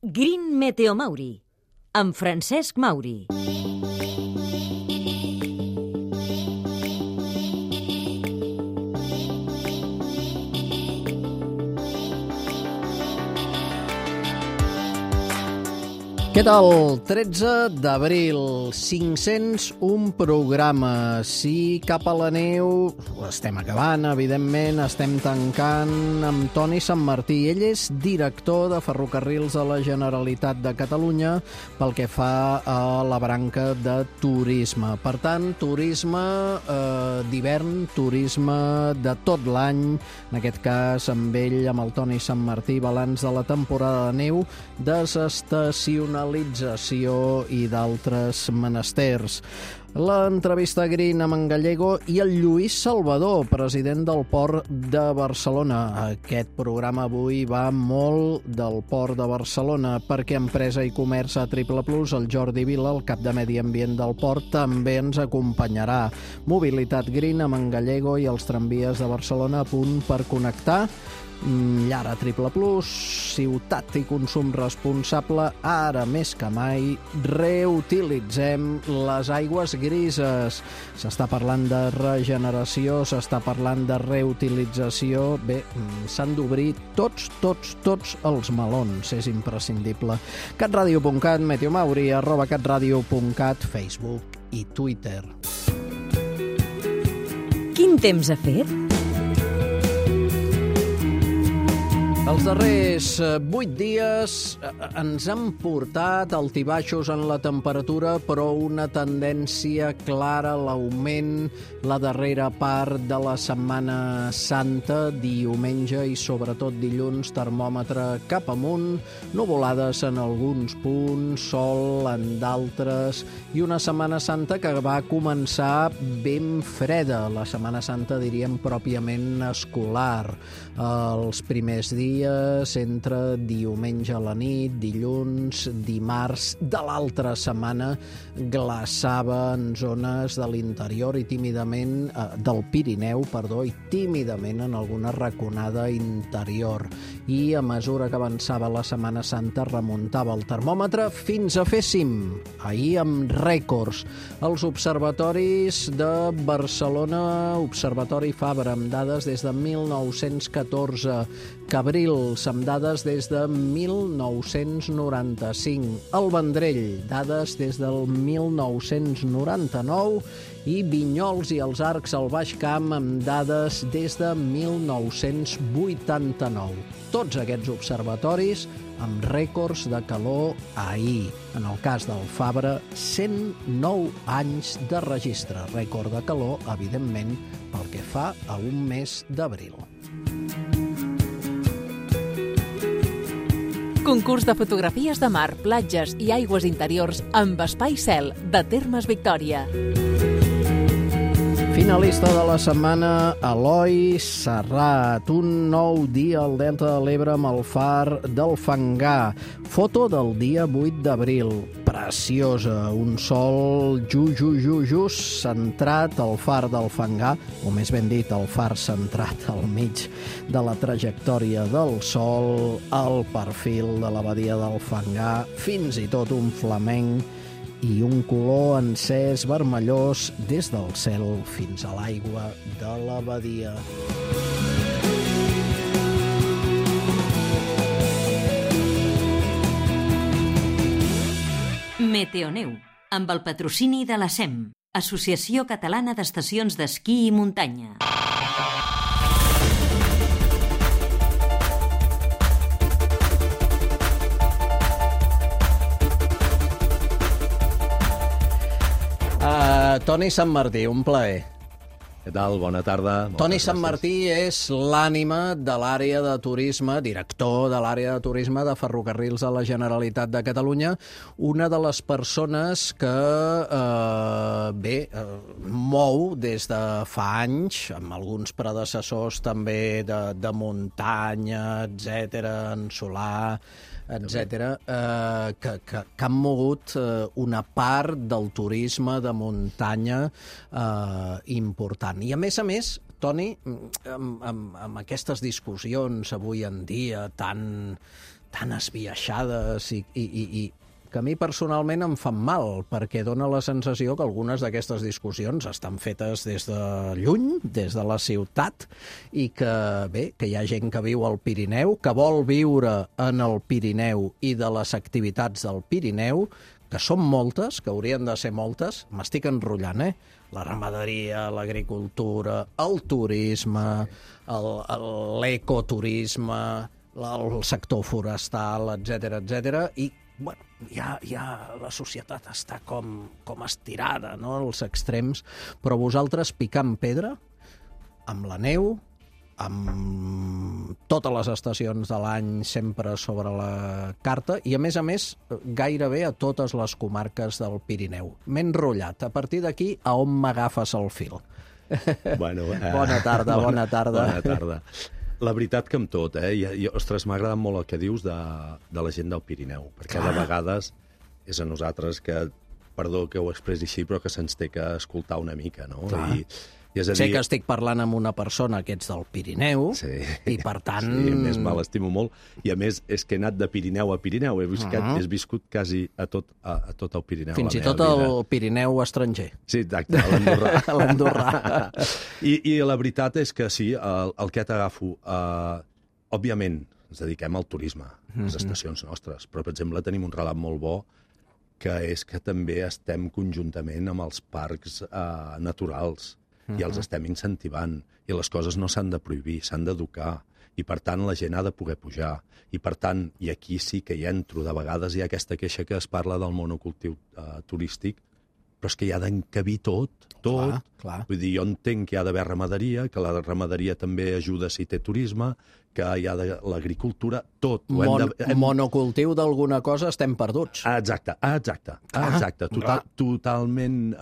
Green Meteo Mauri, amb Francesc Mauri. Què tal? 13 d'abril, 501 programes. Sí, cap a la neu, ho estem acabant, evidentment, estem tancant amb Toni Santmartí. Ell és director de Ferrocarrils de la Generalitat de Catalunya pel que fa a la branca de turisme. Per tant, turisme d'hivern, turisme de tot l'any, en aquest cas amb ell, amb el Toni Santmartí, balanç de la temporada de neu, desestacional i d'altres menesters. L'entrevista Green amb en Gallego i el Lluís Salvador, president del Port de Barcelona. Aquest programa avui va molt del Port de Barcelona perquè Empresa i Comerç a Triple Plus, el Jordi Vila, el cap de Medi Ambient del Port, també ens acompanyarà. Mobilitat Green amb en Gallego i els tramvies de Barcelona a punt per connectar. Llar a Triple Plus, ciutat i consum responsable, ara més que mai reutilitzem les aigües grises. S'està parlant de regeneració, s'està parlant de reutilització. Bé, s'han d'obrir tots els melons, és imprescindible. catradio.cat, Meteo Mauri, @catradio.cat, Facebook i Twitter. Quin temps ha fet? Els darrers 8 dies ens han portat altibaixos en la temperatura, però una tendència clara a l'augment la darrera part de la Setmana Santa, diumenge i sobretot dilluns, termòmetre cap amunt, nuvolades en alguns punts, sol en d'altres, i una Setmana Santa que va començar ben freda, la Setmana Santa diríem pròpiament escolar. Els primers dies entre diumenge a la nit, dilluns, dimarts de l'altra setmana glaçava en zones de l'interior i tímidament del Pirineu, i tímidament en alguna raconada interior. I a mesura que avançava la Setmana Santa remuntava el termòmetre fins a fer cim, ahir amb rècords. Els observatoris de Barcelona, Observatori Fabra, amb dades des de 1914, Cabrils, amb dades des de 1995, el Vendrell, dades des del 1999, i Vinyols i els Arcs al Baix Camp amb dades des de 1989. Tots aquests observatoris amb rècords de calor ahir. En el cas del Fabra, 109 anys de registre. Rècord de calor, evidentment, pel que fa a un mes d'abril. Concurs de fotografies de mar, platges i aigües interiors amb Espai Cel de Termes Victòria. Finalista de la setmana, Eloi Serrat. Un nou dia al Delta de l'Ebre amb el far del Fangar. Foto del dia 8 d'abril. Preciosa. Un sol just centrat al far del Fangar, o més ben dit, el far centrat al mig de la trajectòria del sol, el perfil de la badia del Fangar, fins i tot un flamenc i un color encès vermellós des del cel fins a l'aigua de la badia. Meteoneu, amb el patrocini de la SEM, Associació Catalana d'Estacions d'Esquí i Muntanya. Toni Santmartí, un plaer. Què tal? Bona tarda. Toni Santmartí és l'ànima de l'àrea de turisme, director de l'àrea de turisme de Ferrocarrils de la Generalitat de Catalunya, una de les persones que mou des de fa anys, amb alguns predecessors també de muntanya, etcètera, en solar, etc., que han mogut una part del turisme de muntanya important. I a més, Toni, amb aquestes discussions avui en dia tan tan esbiaixades i que a mi personalment em fan mal, perquè dona la sensació que algunes d'aquestes discussions estan fetes des de lluny, des de la ciutat, i que, bé, que hi ha gent que viu al Pirineu, que vol viure en el Pirineu i de les activitats del Pirineu, que són moltes, que haurien de ser moltes, m'estic enrotllant, la ramaderia, l'agricultura, el turisme, l'ecoturisme, el sector forestal, etc, i bueno, ja la societat està com estirada, no?, als extrems, però vosaltres picant pedra, amb la neu, amb totes les estacions de l'any sempre sobre la carta, i a més gairebé a totes les comarques del Pirineu. M'he enrotllat. A partir d'aquí, a on m'agafes el fil? Bueno, Bona tarda. Bona tarda. La veritat que amb tot, ostres, m'ha agradat molt el que dius de la gent del Pirineu, perquè de vegades és a nosaltres que, perdó que ho expressi així, però que se'ns té que escoltar una mica, no? I és a dir... Sé que estic parlant amb una persona que ets del Pirineu, i per tant... Sí, a més, me l'estimo molt. I a més, és que he anat de Pirineu a Pirineu. He viscut quasi a tot el Pirineu. Fins i tot el Pirineu estranger. Sí, exacte, a l'Andorrà. L'Andorrà. I la veritat és que sí, el que t'agafo... Òbviament, ens dediquem al turisme, a les estacions nostres, però, per exemple, tenim un relat molt bo, que és que també estem conjuntament amb els parcs naturals, i els estem incentivant, i les coses no s'han de prohibir, s'han d'educar, i per tant la gent ha de poder pujar, i per tant, i aquí sí que hi entro, de vegades hi ha aquesta queixa que es parla del monocultiu turístic, però és que hi ha d'encabir tot. Clar. Vull dir, jo entenc que hi ha d'haver ramaderia, que la ramaderia també ajuda si té turisme, que hi ha l'agricultura, tot. Monocultiu d'alguna cosa estem perduts. Exacte. Totalment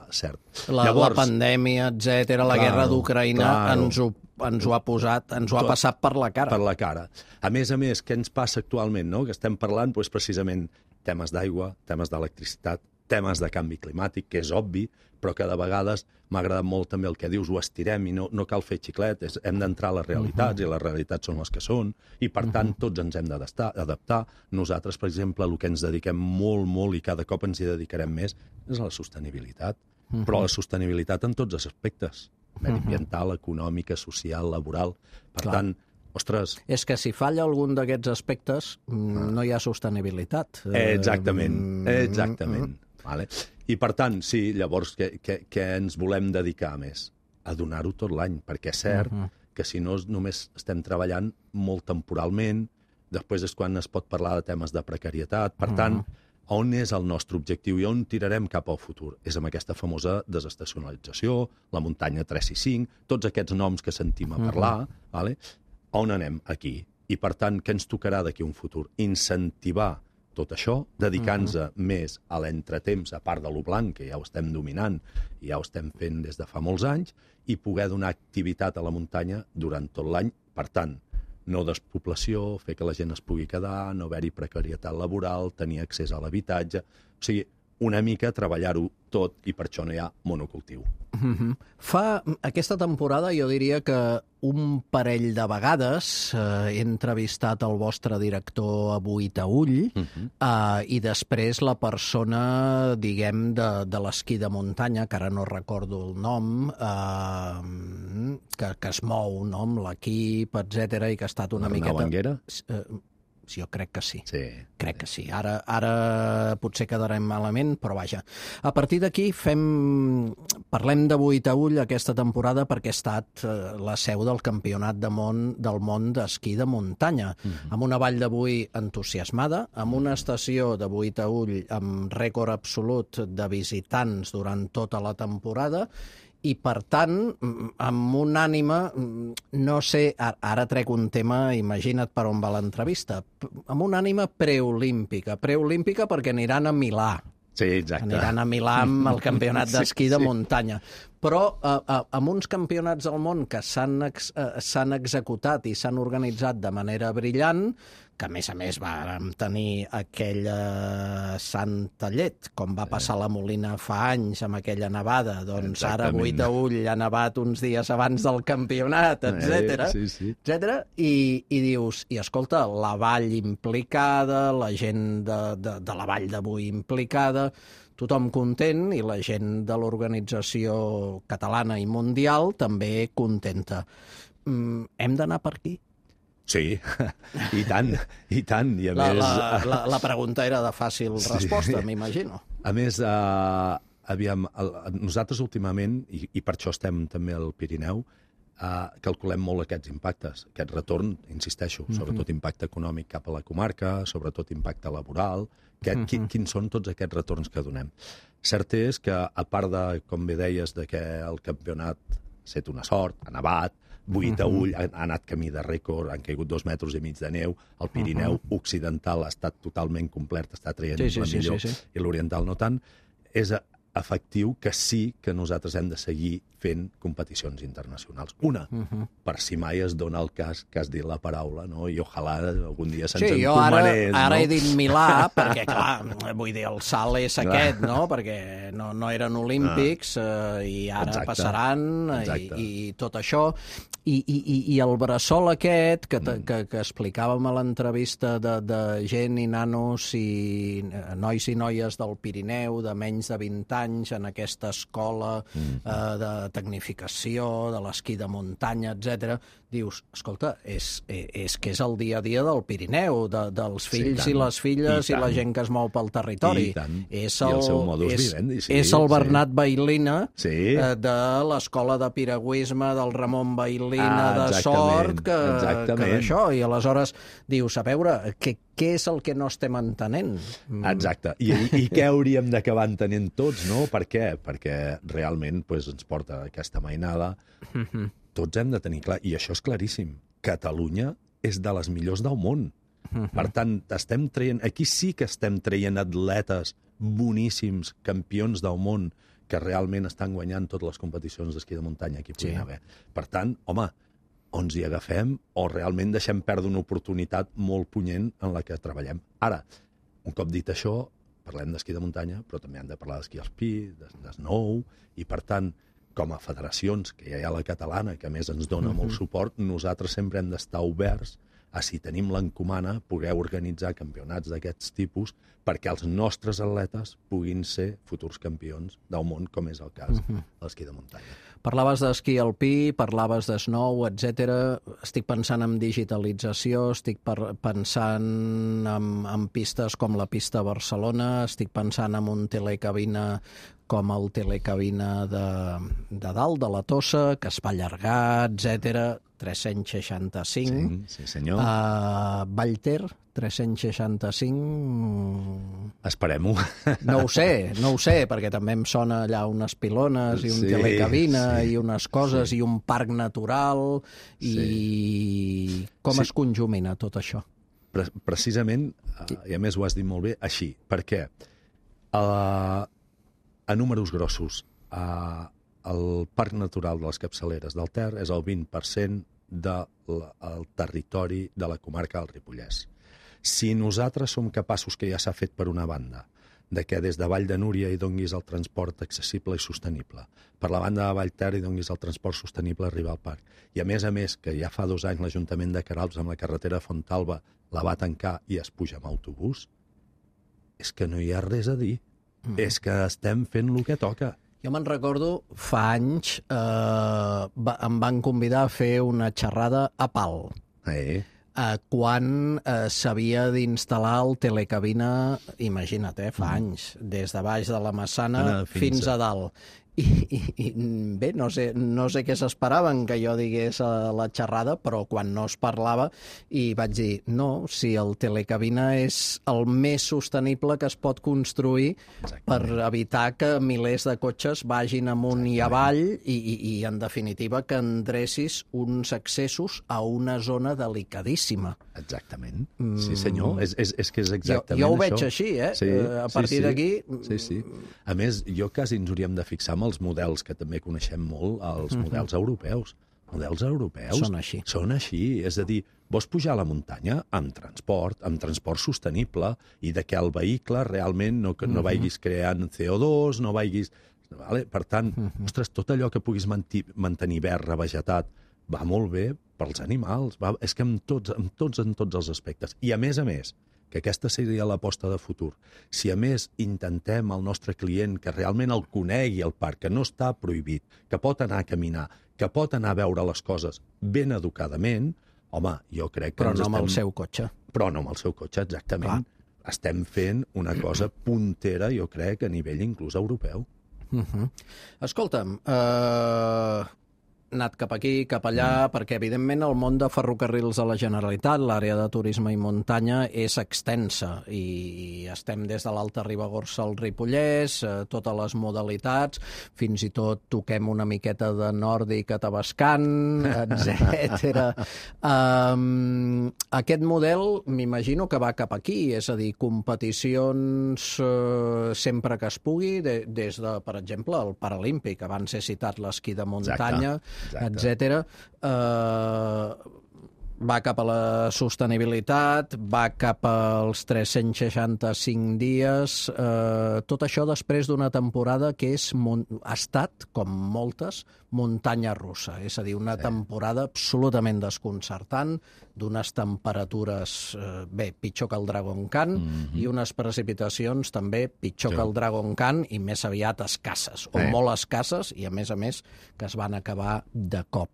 cert. La pandèmia, etc, la guerra d'Ucraïna ens ho ha posat, ens ho ha passat per la cara. Per la cara. A més, què ens passa actualment, no? Que estem parlant precisament temes d'aigua, temes d'electricitat, temes de canvi climàtic, que és obvi, però que de vegades m'ha agradat molt també el que dius, ho estirem i no cal fer xiclet, hem d'entrar a les realitats, i les realitats són les que són, i per tant tots ens hem d'adaptar. Nosaltres, per exemple, el que ens dediquem molt i cada cop ens hi dedicarem més és a la sostenibilitat, però la sostenibilitat en tots els aspectes, mediambiental, econòmica, social, laboral. Per tant, ostres... És que si falla algun d'aquests aspectes, no hi ha sostenibilitat. Exactament. Vale. I per tant, sí, llavors, què ens volem dedicar més? A donar-ho tot l'any, perquè és cert que si no només estem treballant molt temporalment, després és quan es pot parlar de temes de precarietat. Per tant, on és el nostre objectiu i on tirarem cap al futur? És amb aquesta famosa desestacionalització, la muntanya 365, tots aquests noms que sentim a parlar, vale? On anem? Aquí. I per tant, què ens tocarà d'aquí un futur? Incentivar tot això, dedicant-nos més a l'entretemps, a part de lo blanc, que ja ho estem dominant i ja ho estem fent des de fa molts anys, i poder donar activitat a la muntanya durant tot l'any. Per tant, no despoblació, fer que la gent es pugui quedar, no haver-hi precarietat laboral, tenir accés a l'habitatge... O sigui, una mica treballar-ho tot, i per això no hi ha monocultiu. Aquesta temporada jo diria que un parell de vegades he entrevistat el vostre director a Boïtaüll i després la persona, diguem, de l'esquí de muntanya, que ara no recordo el nom, que es mou, no?, amb l'equip, etc, i que ha estat una miqueta... Arnau Anguera? Jo crec que sí. Crec que sí. Ara potser quedarem malament, però vaja. A partir d'aquí parlem de Boïtaüll aquesta temporada perquè ha estat la seu del Campionat del món d'esquí de muntanya, amb una vall de Boí entusiasmada, amb una estació de Boïtaüll amb rècord absolut de visitants durant tota la temporada, i, per tant, amb una ànima, no sé, ara trec un tema, imagina't per on va l'entrevista, amb una ànima preolímpica perquè aniran a Milà. Sí, exacte. Aniran a Milà amb el campionat d'esquí de muntanya. Però amb uns campionats del món que s'han executat i s'han organitzat de manera brillant, que a més vàrem tenir aquella santa llet, com va passar a la Molina fa anys amb aquella nevada, doncs ara a Boí-Taüll ha nevat uns dies abans del campionat, etc. I dius, i escolta, la vall implicada, la gent de la vall de Boí implicada, tothom content i la gent de l'organització catalana i mundial també contenta. Hem d'anar per aquí? Sí, i tant. I a més... La pregunta era de fàcil resposta, m'imagino. A més, nosaltres últimament, i per això estem també al Pirineu, calculem molt aquests impactes, aquest retorn, insisteixo, sobretot impacte econòmic cap a la comarca, sobretot impacte laboral, quins són tots aquests retorns que donem. Cert és que, a part de, com bé deies, de que el campionat ha estat una sort, ha nevat, Boí-Taüll ha anat camí de rècord, han caigut 2,5 metres de neu, el Pirineu occidental ha estat totalment complet, està traient la millor, i l'oriental no tant, és efectiu que sí que nosaltres hem de seguir fent competicions internacionals. Una, per si mai es dona el cas que has dit la paraula, no? I ojalà algun dia se'ns encomanés. Sí, ara he dit Milà, perquè, clar, vull dir, el salt és aquest, no? Perquè no eren olímpics i ara passaran i tot això. I el bressol aquest que explicàvem a l'entrevista de gent i nanos i nois i noies del Pirineu de menys de 20 anys en aquesta escola de tecnificació, de l'esquí de muntanya, etc. Dius, escolta, és que és el dia a dia del Pirineu, dels fills i les filles i la gent que es mou pel territori. És el seu modus vivendi. És el Bernat Bailina de l'escola de piragüisme del Ramon Bailina de Sort, que d'això. I aleshores dius, a veure, què és el que no estem entenent? Exacte. I què hauríem d'acabar entenent tots, no? Per què? Perquè realment ens porta aquesta mainada. Tots hem de tenir clar, i això és claríssim, Catalunya és de les millors del món. Per tant, aquí sí que estem traient atletes boníssims, campions del món, que realment estan guanyant totes les competicions d'esquí de muntanya que hi puguin haver. Per tant, home, o ens hi agafem o realment deixem perdre una oportunitat molt punyent en la que treballem. Ara, un cop dit això, parlem d'esquí de muntanya, però també hem de parlar d'esquí alpí, d'snow, i per tant, com a federacions, que ja hi ha la catalana, que a més ens dona molt suport, nosaltres sempre hem d'estar oberts a, si tenim l'encomana, poder organitzar campionats d'aquests tipus perquè els nostres atletes puguin ser futurs campions del món, com és el cas de l'esquí de muntanya. Parlaves d'esquí alpí, parlaves de snow, etc. Estic pensant en digitalització, estic pensant en pistes com la pista a Barcelona, estic pensant en un telecabina com el telecabina de dalt, de la Tossa, que es va allargar, etc. 365. Sí, senyor. Vallter, 365... Esperem-ho. No ho sé, perquè també em sona allà unes pilones i un telecabina i unes coses i un parc natural i com es conjumina tot això? Precisament, i a més ho has dit molt bé, així. Per què? A números grossos, el Parc Natural de les Capçaleres del Ter és el 20% del territori de la comarca del Ripollès. Si nosaltres som capaços, que ja s'ha fet per una banda, de que des de Vall de Núria hi donguis el transport accessible i sostenible, per la banda de Vall Ter hi donguis el transport sostenible a arribar al parc, i a més, que ja fa 2 anys l'Ajuntament de Queralbs amb la carretera de Fontalba la va tancar i es puja amb autobús, és que no hi ha res a dir. És que estem fent el que toca. Jo me'n recordo, fa anys em van convidar a fer una xerrada a Pal. Quan s'havia d'instal·lar el telecabina, imagina't, fa anys, des de baix de la Massana fins a dalt. I bé, no sé què s'esperaven que jo digués a la xerrada, però quan no es parlava i vaig dir, no, si el telecabina és el més sostenible que es pot construir per evitar que milers de cotxes vagin amunt i avall i en definitiva que endrecis uns accessos a una zona delicadíssima. Exactament. Sí, senyor. És que és exactament això. Jo ho veig així, a partir d'aquí... Sí. A més, jo quasi ens hauríem de fixar amb els models, que també coneixem molt, els models europeus. models europeus són així. És a dir, vols pujar a la muntanya amb transport sostenible i de que el vehicle realment no vagis creant CO2, no vagis... Vale? Per tant, ostres, tot allò que puguis mantenir verd, revegetat, va molt bé pels animals. És que en tots els aspectes. I a més, que aquesta seria l'aposta de futur. Si a més intentem al nostre client que realment el conegui el parc, que no està prohibit, que pot anar a caminar, que pot anar a veure les coses ben educadament, home, jo crec que... Però no amb el seu cotxe. Però no amb el seu cotxe, exactament. Clar. Estem fent una cosa puntera, jo crec, a nivell inclús europeu. Escolta'm, anat cap aquí, cap allà, perquè evidentment el món de ferrocarrils de la Generalitat, l'àrea de turisme i muntanya, és extensa i estem des de l'Alta Ribagorça al Ripollès, totes les modalitats, fins i tot toquem una miqueta de nòrdic a Tavascan, etc. Aquest model m'imagino que va cap aquí, és a dir, competicions sempre que es pugui, des de, per exemple, el Paralímpic, abans he citat l'esquí de muntanya, etc. Va cap a la sostenibilitat, va cap als 365 dies, tot això després d'una temporada que ha estat, com moltes, muntanya russa, és a dir, una temporada absolutament desconcertant, d'unes temperatures, pitjor que el Dragon Khan, i unes precipitacions també pitjor que el Dragon Khan i més aviat escasses, o molt escasses, i a més, que es van acabar de cop.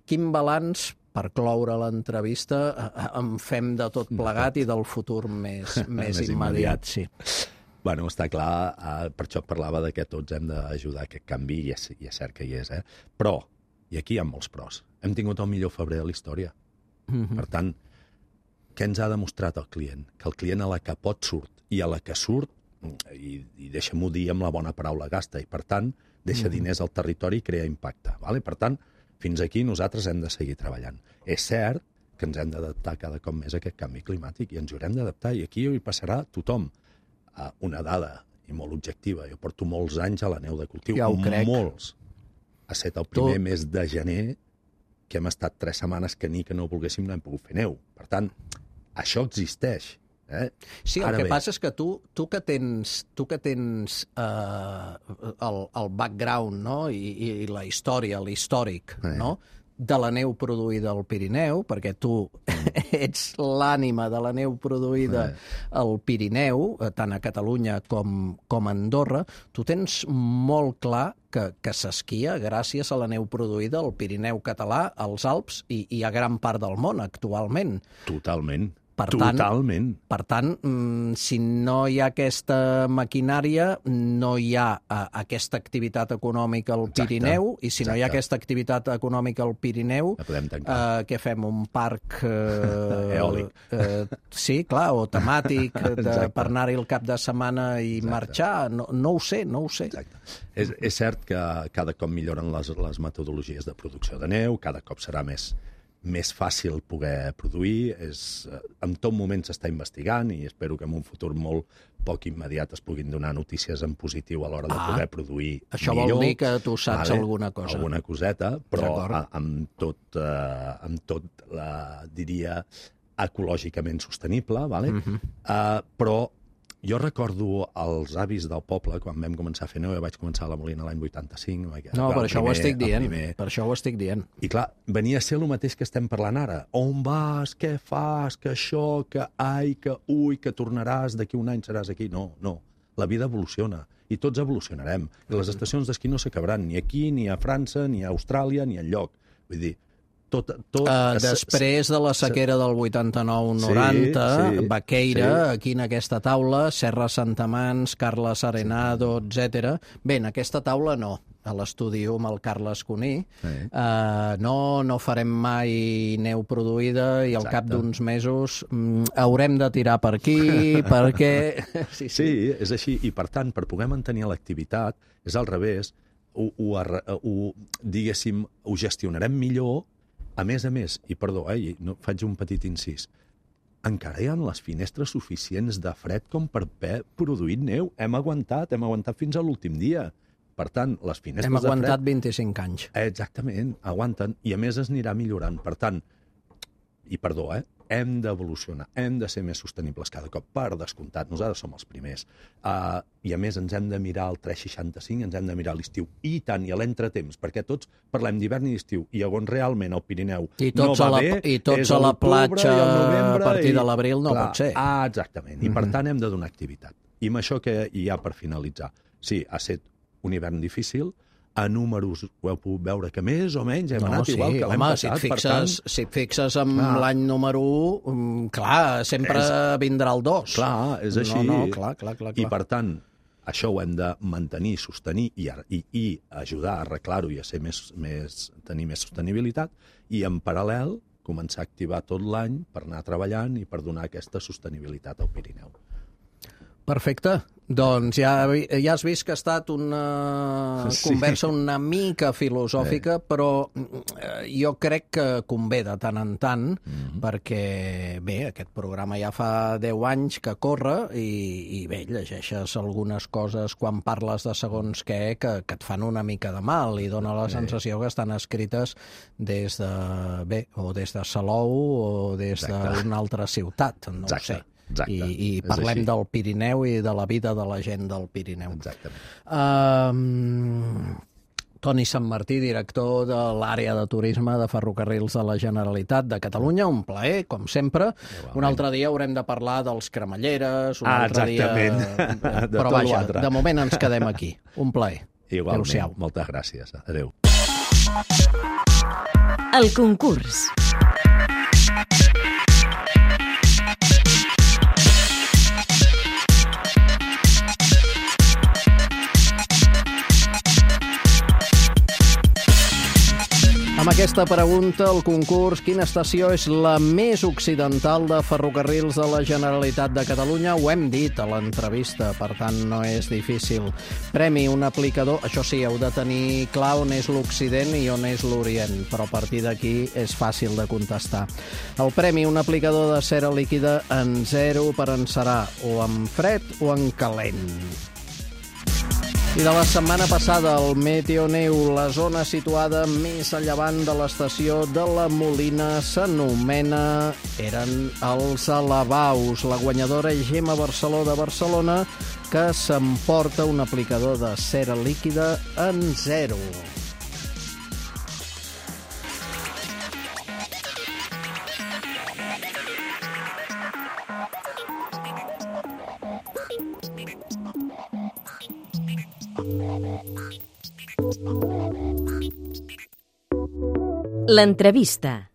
Quin balanç, per cloure l'entrevista, en fem de tot plegat i del futur més immediat? Sí. Bueno, està clar, per això parlava que tots hem d'ajudar a aquest canvi, i és cert que hi és, Però, i aquí hi ha molts pros, hem tingut el millor febrer de la història. Per tant, què ens ha demostrat el client? Que el client a la que pot surt, i a la que surt, i deixa'm-ho dir amb la bona paraula, gasta, i per tant, deixa diners al territori i crea impacte. Per tant, fins aquí nosaltres hem de seguir treballant. És cert que ens hem d'adaptar cada cop més a aquest canvi climàtic i ens hi haurem d'adaptar, i aquí hi passarà tothom. Una dada, i molt objectiva, jo porto molts anys a la neu de cultiu, ja ho crec. Molts. Ha estat el primer mes de gener que hem estat 3 setmanes que no volguéssim no hem pogut fer neu. Per tant, això existeix. Sí, el que passa és que tu que tens el background, no? I la història, l'històric, no? De la neu produïda al Pirineu, perquè tu ets l'ànima de la neu produïda al Pirineu, tant a Catalunya com a Andorra, tu tens molt clar que s'esquia gràcies a la neu produïda al Pirineu català, als Alps i a gran part del món actualment. Totalment. Totalment. Per tant, si no hi ha aquesta maquinària, no hi ha aquesta activitat econòmica al Pirineu, i si no hi ha aquesta activitat econòmica al Pirineu, què fem? Un parc eòlic. Sí, clar, o temàtic, per anar-hi el cap de setmana i marxar. No ho sé. Exacte. És cert que cada cop milloren les metodologies de producció de neu, cada cop serà més fàcil poder produir, en tot moment s'està investigant i espero que en un futur molt poc immediat es puguin donar notícies en positiu a l'hora de poder produir millor. Això vol dir que tu saps alguna cosa. Alguna coseta, però amb tot, diria, ecològicament sostenible, però jo recordo els avis del poble, quan vam començar a fer neu, vaig començar a la Molina l'any 85. No, per això ho estic dient. I clar, venia a ser el mateix que estem parlant ara. On vas, què fas, que això, que ai, que ui, que tornaràs, d'aquí un any seràs aquí. No. La vida evoluciona i tots evolucionarem. I les estacions d'esquí no s'acabaran ni aquí, ni a França, ni a Austràlia, ni enlloc. Vull dir, després de la sequera del 89-90, Baqueira, aquí en aquesta taula, Serra Santamans, Carles Arenado, etc. Bé, en aquesta taula no, a l'estudi amb el Carles Cuní. No farem mai neu produïda i al cap d'uns mesos haurem de tirar per aquí, perquè... Sí, és així. I per tant, per poder mantenir l'activitat, és al revés, diguéssim, ho gestionarem millor. A més, i perdó, faig un petit incís, encara hi ha les finestres suficients de fred com per haver produït neu. Hem aguantat fins a l'últim dia. Per tant, les finestres Hem de fred... aguantat 25 anys. Exactament, aguanten, i a més es anirà millorant. Per tant, i perdó, hem d'evolucionar, hem de ser més sostenibles cada cop, per descomptat, nosaltres som els primers. I a més ens hem de mirar el 365, ens hem de mirar l'estiu, i tant, i a l'entretemps, perquè tots parlem d'hivern i d'estiu, i on realment el Pirineu no va bé, i tots és a la l'octubre platja i el novembre, a partir de l'abril no pot ser. Exactament, i per tant hem de donar activitat. I amb això que hi ha per finalitzar. Sí, ha estat un hivern difícil, a números ho heu pogut veure que més o menys hem anat igual que l'hem passat. Si et fixes en l'any número 1, clar, sempre vindrà el 2. Clar, és així. Clar. I per tant, això ho hem de mantenir, sostenir i ajudar a arreglar-ho i a ser tenir més sostenibilitat, i en paral·lel començar a activar tot l'any per anar treballant i per donar aquesta sostenibilitat al Pirineu. Perfecte. Doncs ja has vist que ha estat una conversa una mica filosòfica, però jo crec que convé de tant en tant, perquè, bé, aquest programa ja fa 10 anys que corre i bé, llegeixes algunes coses quan parles de segons què que et fan una mica de mal i dona la sensació que estan escrites des de Salou o des d'una altra ciutat, no ho sé. I parlem del Pirineu i de la vida de la gent del Pirineu. Exactament. Toni Santmartí, director de l'àrea de turisme de Ferrocarrils de la Generalitat de Catalunya, un plaer, com sempre. Un altre dia haurem de parlar dels cremalleres, un altre dia... Però vaja, de moment ens quedem aquí. Un plaer. Igualment, moltes gràcies. Adéu. El concurs. Amb aquesta pregunta, el concurs, quina estació és la més occidental de Ferrocarrils de la Generalitat de Catalunya? Ho hem dit a l'entrevista, per tant no és difícil. Premi, un aplicador, això sí, heu de tenir clar on és l'Occident i on és l'Orient, però a partir d'aquí és fàcil de contestar. El premi, un aplicador de cera líquida en 0 per encerar, o en fred o en calent. I de la setmana passada, el Meteoneu, la zona situada més a llevant de l'estació de la Molina, eren els Alabaus. La guanyadora és Gemma Barceló de Barcelona, que s'emporta un aplicador de cera líquida en 0. L'entrevista.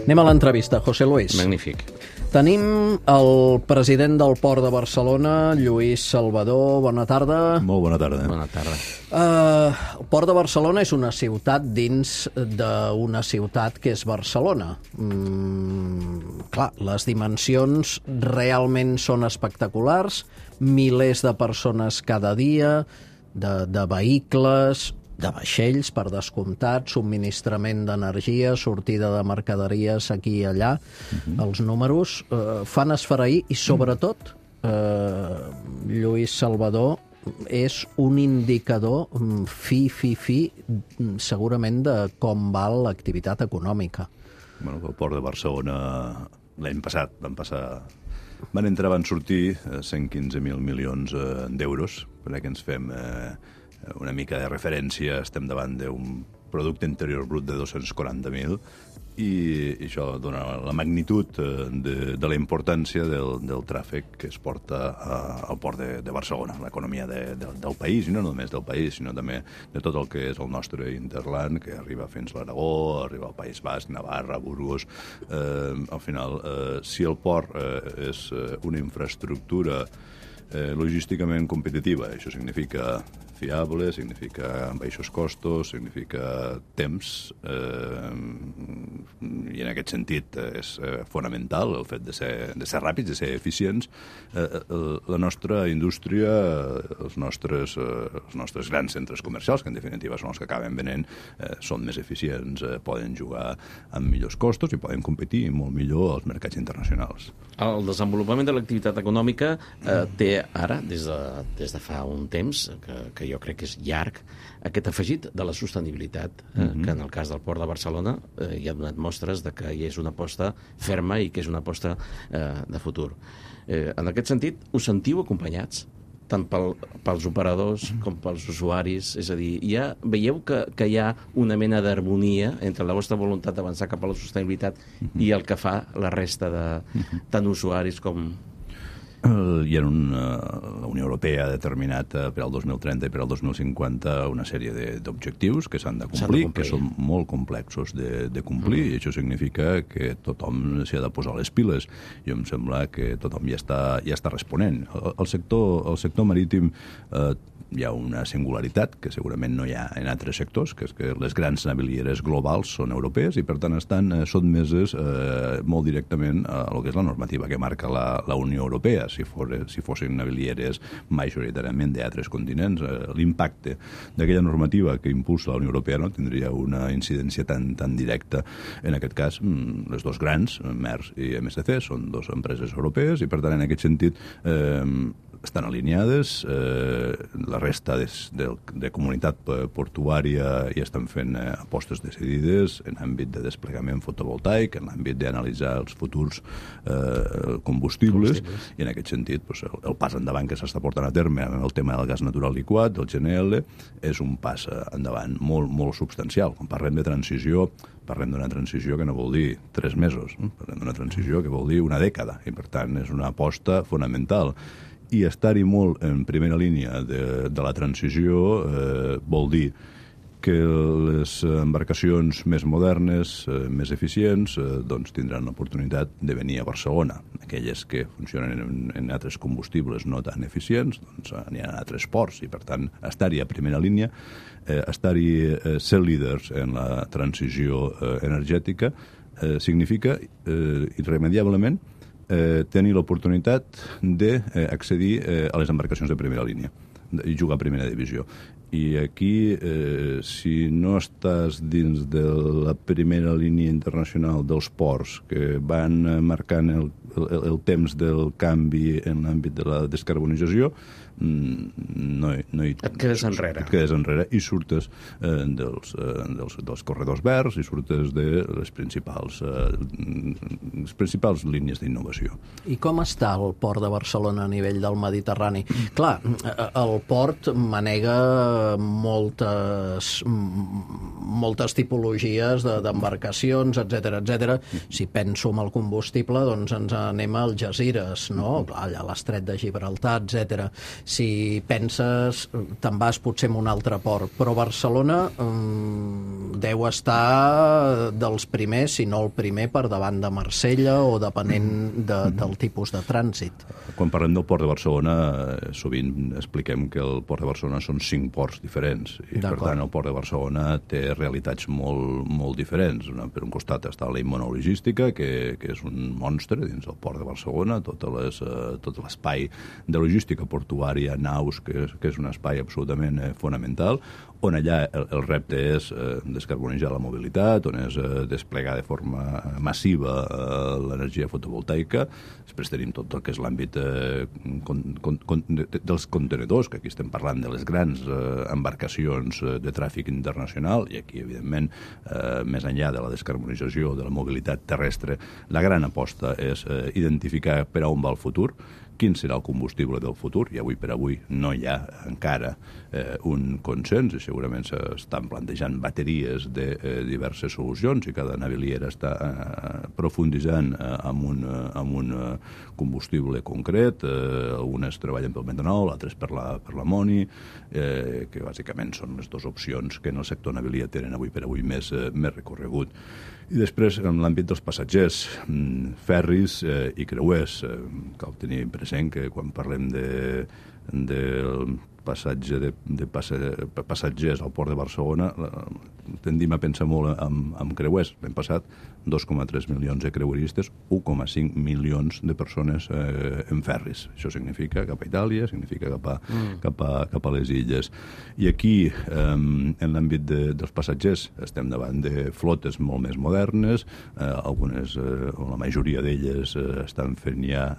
Anem a l'entrevista, José Luis. Magnífic. Tenim el president del Port de Barcelona, Lluís Salvador. Bona tarda. Molt bona tarda. Bona tarda. El Port de Barcelona és una ciutat dins d'una ciutat que és Barcelona. Clar, les dimensions realment són espectaculars, milers de persones cada dia, de vehicles, de vaixells, per descomptat, subministrament d'energia, sortida de mercaderies aquí i allà. Els números fan esfereir i, sobretot, Lluís Salvador és un indicador segurament de com va l'activitat econòmica. Bueno, el Port de Barcelona l'any passat van sortir 115.000 milions d'euros, perquè ens fem una mica de referència, estem davant d'un producte interior brut de 240.000 i això dona la magnitud de la importància del tràfic que es porta al Port de Barcelona, l'economia del país, i no només del país, sinó també de tot el que és el nostre interland, que arriba fins a l'Aragó, arriba al País Basc, Navarra, Burgos. Al final, si el port és una infraestructura logísticament competitiva. Això significa fiable, significa baixos costos, significa temps, i en aquest sentit és fonamental el fet de ser ràpids, de ser eficients. La nostra indústria, els nostres grans centres comercials, que en definitiva són els que acaben venent, són més eficients, poden jugar amb millors costos i poden competir molt millor als mercats internacionals. El desenvolupament de l'activitat econòmica té ara, des de fa un temps, que jo crec que és llarg, aquest afegit de la sostenibilitat, que en el cas del Port de Barcelona hi ha donat mostres de que hi és una aposta ferma i que és una aposta de futur. En aquest sentit, us sentiu acompanyats? Tant pels operadors com pels usuaris, és a dir, veieu que hi ha una mena d'harmonia entre la vostra voluntat d'avançar cap a la sostenibilitat i el que fa la resta de tant usuaris com... La Unió Europea ha determinat per al 2030 i per al 2050 una sèrie d'objectius que s'han de complir, que són molt complexos de complir, i això significa que tothom s'hi ha de posar les piles. I em sembla que tothom ja està responent. El sector marítim hi ha una singularitat que segurament no hi ha en altres sectors, que és que les grans navilieres globals són europees i, per tant, estan sotmeses molt directament a el que és la normativa que marca la Unió Europea. Si fossin navilieres majoritàriament d'altres continents, l'impacte d'aquella normativa que impulsa la Unió Europea no tindria una incidència tan directa. En aquest cas, les dos grans, Maersk i MSC, són dues empreses europees i, per tant, en aquest sentit, estan alineades, la resta de comunitat portuària ja estan fent apostes decidides en l'àmbit de desplegament fotovoltaic, en l'àmbit d'analitzar els futurs combustibles, i en aquest sentit el pas endavant que s'està portant a terme en el tema del gas natural liquat, del GNL, és un pas endavant molt, molt substancial. Quan parlem de transició, parlem d'una transició que no vol dir 3 mesos, parlem d'una transició que vol dir una dècada, i per tant és una aposta fonamental. I estar-hi molt en primera línia de la transició vol dir que les embarcacions més modernes, més eficients, doncs tindran l'oportunitat de venir a Barcelona. Aquelles que funcionen en altres combustibles no tan eficients, doncs aniran a altres ports, i per tant estar-hi a primera línia, ser líders en la transició energètica, significa irremediablement tenir l'oportunitat d'accedir a les embarcacions de primera línia i jugar a primera divisió. I aquí, si no estàs dins de la primera línia internacional dels ports que van marcant el temps del canvi en l'àmbit de la descarbonització, et quedes enrere. Et quedes enrere i surtes dels corredors verds i surtes de les principals línies d'innovació. I com està el port de Barcelona a nivell del Mediterrani? Clar, el port manega moltes tipologies d'embarcacions, etc. Si penso en el combustible, doncs ens anem a Algesires, no? Allà a l'estret de Gibraltar, etc. Si penses, te'n vas potser en un altre port, però Barcelona deu estar dels primers, si no el primer, per davant de Marsella o depenent del tipus de trànsit. Quan parlem del port de Barcelona, sovint expliquem que el port de Barcelona són 5 ports diferents, i per tant el port de Barcelona té realitats molt diferents. Per un costat està la immunologística, que és un monstre dins del port de Barcelona, tot l'espai de logística portuària, naus, que és un espai absolutament fonamental, on allà el repte és descarbonitzar la mobilitat, on és desplegar de forma massiva l'energia fotovoltaica. Després tenim tot el que és l'àmbit dels contenedors, que aquí estem parlant de les grans embarcacions de tràfic internacional, i aquí, evidentment, més enllà de la descarbonització de la mobilitat terrestre, la gran aposta és identificar per a on va el futur, quin serà el combustible del futur, i avui per avui no hi ha encara un consens, i segurament s'estan plantejant bateries de diverses solucions, i cada naviliera està profunditzant en un combustible concret. Algunes treballen pel metanol, altres per l'amoni, que bàsicament són les dues opcions que en el sector navilier tenen avui per avui més recorregut. I després, en l'àmbit dels passatgers, ferris i creuers, cal tenir present que quan parlem del passatge de passatgers al Port de Barcelona tendim a pensar molt en creuers. L'any passat 2,3 milions de creueristes, 1,5 milions de persones en ferris. Això significa cap a Itàlia, significa cap a les illes. I aquí, en l'àmbit dels passatgers, estem davant de flotes molt més modernes, algunes, o la majoria d'elles, estan fent ja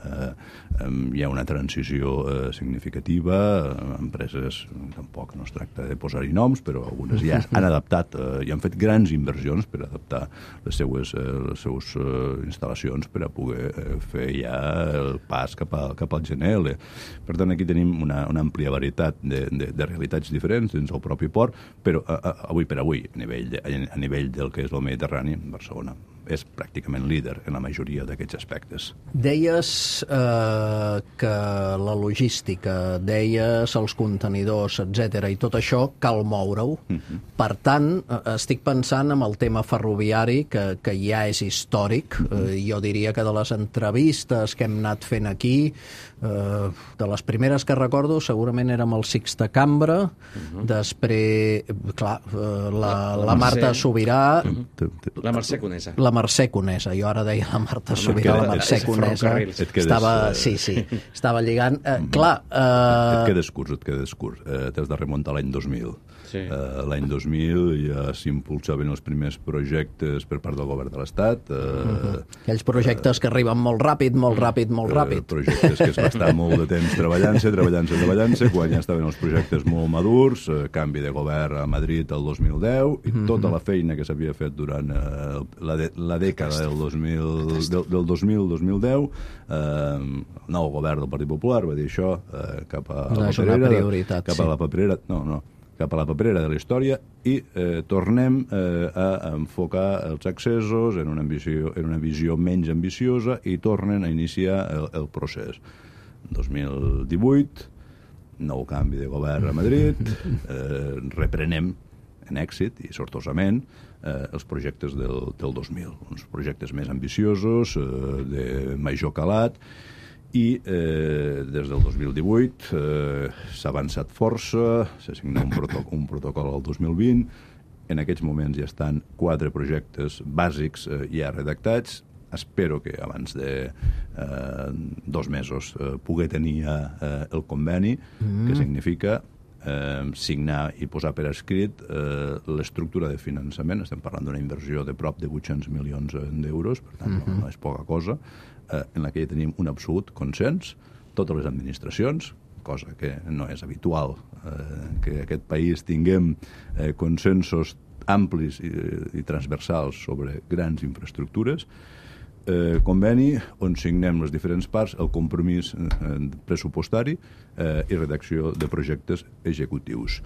una transició significativa. Empreses, tampoc no es tracta de posar-hi noms, però algunes ja han adaptat i han fet grans inversions per adaptar les seues instal·lacions per a poder fer ja el pas cap al GNL. Per tant, aquí tenim una àmplia varietat de realitats diferents dins el propi port, però avui per avui, a nivell del que és el Mediterrani, Barcelona és pràcticament líder en la majoria d'aquests aspectes. Deies que la logística, deies els contenidors, etc. i tot això cal moure-ho. Per tant, estic pensant en el tema ferroviari, que ja és històric. Jo diria que de les entrevistes que hem anat fent aquí, de les primeres que recordo, segurament érem el Sixta Cambra, després, clar, la Marta Sobirà... La Mercè Conesa. La Mercè Conesa. Jo ara deia la Marta Sobirà, la Mercè Conesa. Estava lligant. Clar... Et quedes curt. T'has de remuntar l'any 2000. Sí. L'any 2000 ja s'impulsaven els primers projectes per part del govern de l'Estat. Aquells projectes que arriben molt ràpid. Projectes que es va estar molt de temps treballant-se, quan ja estaven els projectes molt madurs, canvi de govern a Madrid el 2010, i tota la feina que s'havia fet durant la dècada del 2000-2010, el nou govern del Partit Popular va dir això cap a la paperera de la història i tornem a enfocar els accessos en una visió menys ambiciosa i tornen a iniciar el procés. 2018, nou canvi de govern a Madrid, reprenem en èxit i sortosament els projectes del 2000, uns projectes més ambiciosos, de major calat, i des del 2018 s'ha avançat força, s'ha signat un protocol al 2020, en aquests moments ja estan 4 projectes bàsics ja redactats. Espero que abans de 2 mesos pugui tenir el conveni, que significa signar i posar per escrit l'estructura de finançament. Estem parlant d'una inversió de prop de 800 milions d'euros, per tant no és poca cosa, en la que ja tenim un absolut consens, totes les administracions, cosa que no és habitual, que aquest país tinguem consensos amplis i transversals sobre grans infraestructures, conveni on signem les diferents parts el compromís pressupostari i redacció de projectes executius.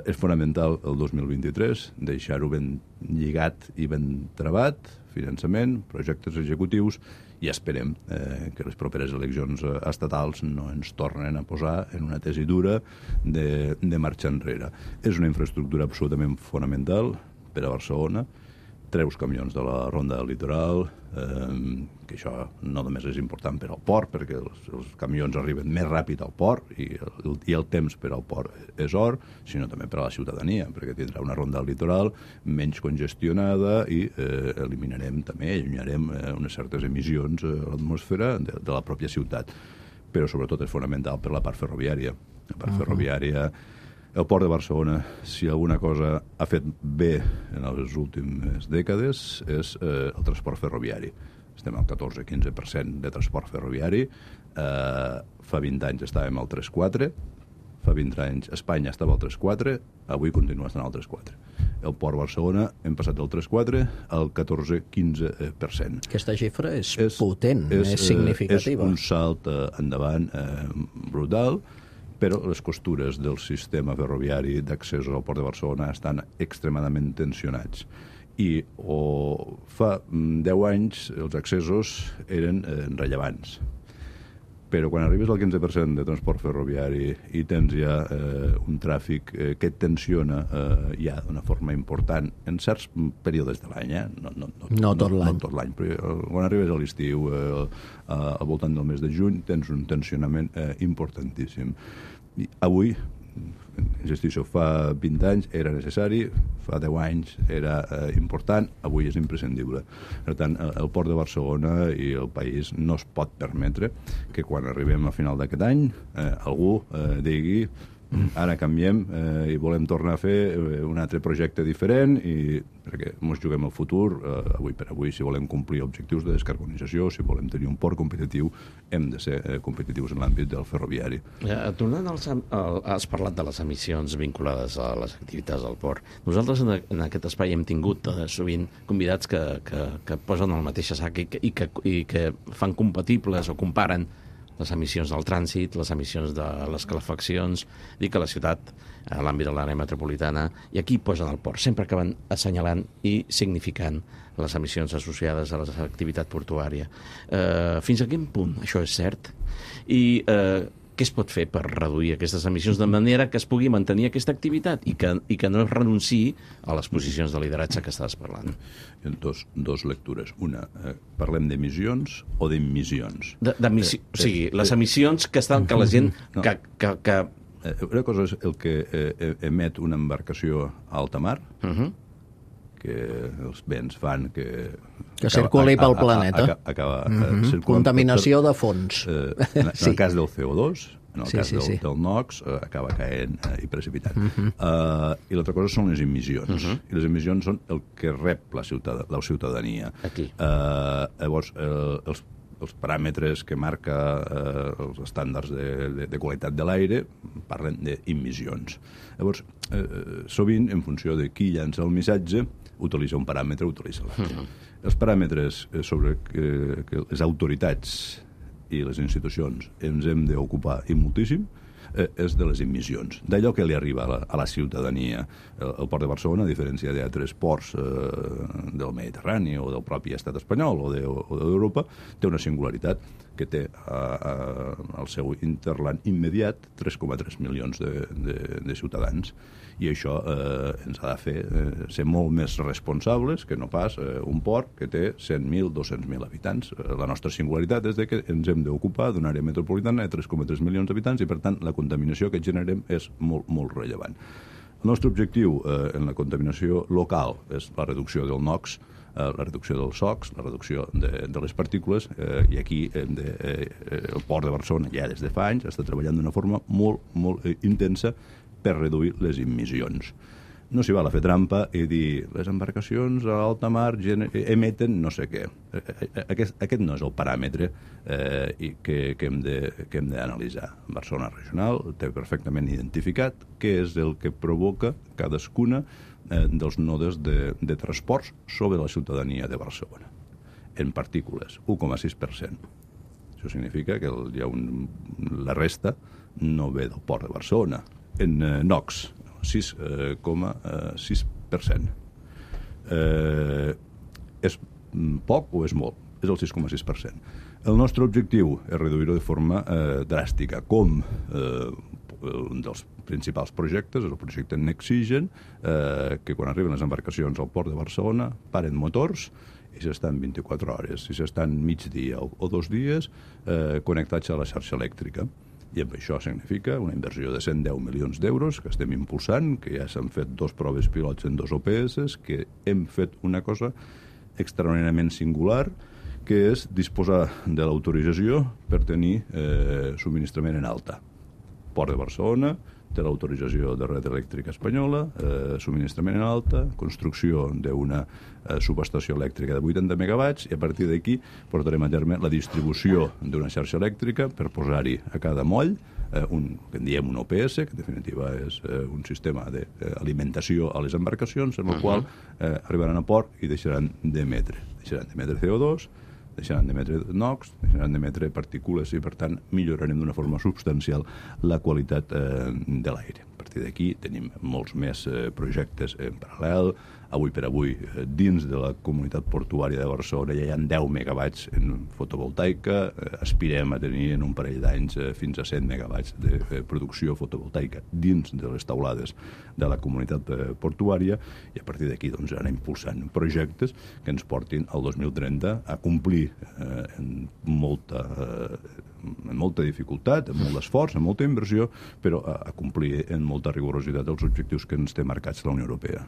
És fonamental el 2023 deixar-ho ben lligat i ben travat, finançament, projectes executius, i esperem que les properes eleccions estatals no ens tornen a posar en una tesidura de marxa enrere. És una infraestructura absolutament fonamental per a Barcelona. Treus camions de la ronda del litoral, que això no només és important per al port, perquè els camions arriben més ràpid al port i el temps per al port és or, sinó també per a la ciutadania, perquè tindrà una ronda del litoral menys congestionada i eliminarem també, allunyarem unes certes emissions a l'atmosfera de la pròpia ciutat. Però sobretot és fonamental per la part ferroviària. La part ferroviària... El Port de Barcelona, si alguna cosa ha fet bé en les últimes dècades, és el transport ferroviari. Estem al 14-15% de transport ferroviari. Fa 20 anys estàvem al 3,4%, fa 20 anys Espanya estava al 3,4%, avui continua estant al 3,4%. El Port de Barcelona hem passat del 3,4% al 14-15%. Aquesta xifra és potent, és significativa. És un salt endavant brutal, però les costures del sistema ferroviari d'accessos al Port de Barcelona estan extremadament tensionats. I fa 10 anys els accessos eren rellevants. però quan arribes al 15% de transport ferroviari i tens ja un tràfic que et tensiona ja d'una forma important en certs períodes de l'any, no tot l'any, però quan arribes a l'estiu, al voltant del mes de juny, tens un tensionament importantíssim. I avui, insisteixo, fa 20 anys era necessari, fa 10 anys era important, avui és imprescindible. Per tant, el Port de Barcelona i el país no es pot permetre que quan arribem a final d'aquest any algú digui ara canviem i volem tornar a fer un altre projecte diferent, perquè ens juguem el futur avui per avui. Si volem complir objectius de descarbonització, si volem tenir un port competitiu, hem de ser competitius en l'àmbit del ferroviari. Tornant has parlat de les emissions vinculades a les activitats del port. Nosaltres en aquest espai hem tingut sovint convidats que posen el mateix sac i que fan compatibles o comparen les emissions del trànsit, les emissions de les calefaccions, dic a la ciutat, a l'àmbit de l'àrea metropolitana, i aquí posen el port. Sempre acaben assenyalant i significant les emissions associades a l'activitat portuària. Fins a quin punt això és cert? I què es pot fer per reduir aquestes emissions de manera que es pugui mantenir aquesta activitat i que no es renunciï a les posicions de lideratge que estàs parlant? Dos lectures. Una, parlem d'emissions o d'emissions? O sigui, les emissions que la gent... Una cosa és el que emet una embarcació a alta mar, que els vents fan que circuli pel planeta. Contaminació de fons. En el cas del CO2, en el cas del NOx, acaba caent i precipitant. I l'altra cosa són les emissions. I les emissions són el que rep la ciutadania. Llavors, els paràmetres que marca els estàndards de qualitat de l'aire parlen d'emissions. Llavors, sovint, en funció de qui llança el missatge, utilitza un paràmetre o utilitza l'altre. Els paràmetres sobre que les autoritats i les institucions ens hem d'ocupar i moltíssim és de les emissions, d'allò que li arriba a la ciutadania. El Port de Barcelona, a diferència d'altres ports del Mediterrani o del propi estat espanyol o d'Europa, té una singularitat que té al seu interland immediat 3,3 milions de ciutadans. I això ens ha de fer ser molt més responsables que no pas un port que té 100.000, 200.000 habitants. La nostra singularitat és que ens hem d'ocupar d'una àrea metropolitana de 3,3 milions d'habitants i, per tant, la contaminació que generem és molt, molt rellevant. El nostre objectiu en la contaminació local és la reducció del NOx, la reducció dels SOx, la reducció de les partícules, i aquí el Port de Barcelona ja des de fa anys està treballant d'una forma molt, molt intensa per reduir les emissions. No s'hi val a fer trampa i dir les embarcacions a alta mar emeten no sé què. Aquest no és el paràmetre que hem d'analitzar. Barcelona Regional té perfectament identificat què és el que provoca cadascuna dels nodes de transports sobre la ciutadania de Barcelona. En partícules, 1,6%. Això significa que la resta no ve del Port de Barcelona. En NOx, 6,6%. És poc o és molt? És el 6,6%. El nostre objectiu és reduir-ho de forma dràstica, com un dels principals projectes és el projecte Nexigen, que quan arriben les embarcacions al Port de Barcelona paren motors i s'estan 24 hores, si s'estan migdia o 2 dies connectats a la xarxa elèctrica. I amb això significa una inversió de 110 milions d'euros que estem impulsant, que ja s'han fet 2 proves pilots en 2 OPS, que hem fet una cosa extraordinàriament singular, que és disposar de l'autorització per tenir subministrament en alta. Port de Barcelona té l'autorització de Red Elèctrica Espanyola, subministrament en alta, construcció d'una subestació elèctrica de 80 megawatts, i a partir d'aquí portarem a terme la distribució d'una xarxa elèctrica per posar-hi a cada moll que en diem un OPS, que en definitiva és un sistema d'alimentació a les embarcacions, en el qual arribaran a port i deixaran d'emetre CO2, deixaran d'emetre NOx, deixaran d'emetre partícules i, per tant, millorarem d'una forma substancial la qualitat de l'aire. partir d'aquí tenim molts més projectes en paral·lel. Avui per avui, dins de la comunitat portuària de Barcelona ja hi ha 10 megawatts en fotovoltaica, aspirem a tenir en un parell d'anys fins a 100 megawatts de producció fotovoltaica dins de les taulades de la comunitat portuària, i a partir d'aquí doncs, anar impulsant projectes que ens portin al 2030 a complir en molta dificultat, amb molt d'esforç, amb molta inversió, però a complir en molta rigorositat els objectius que ens té marcats la Unió Europea.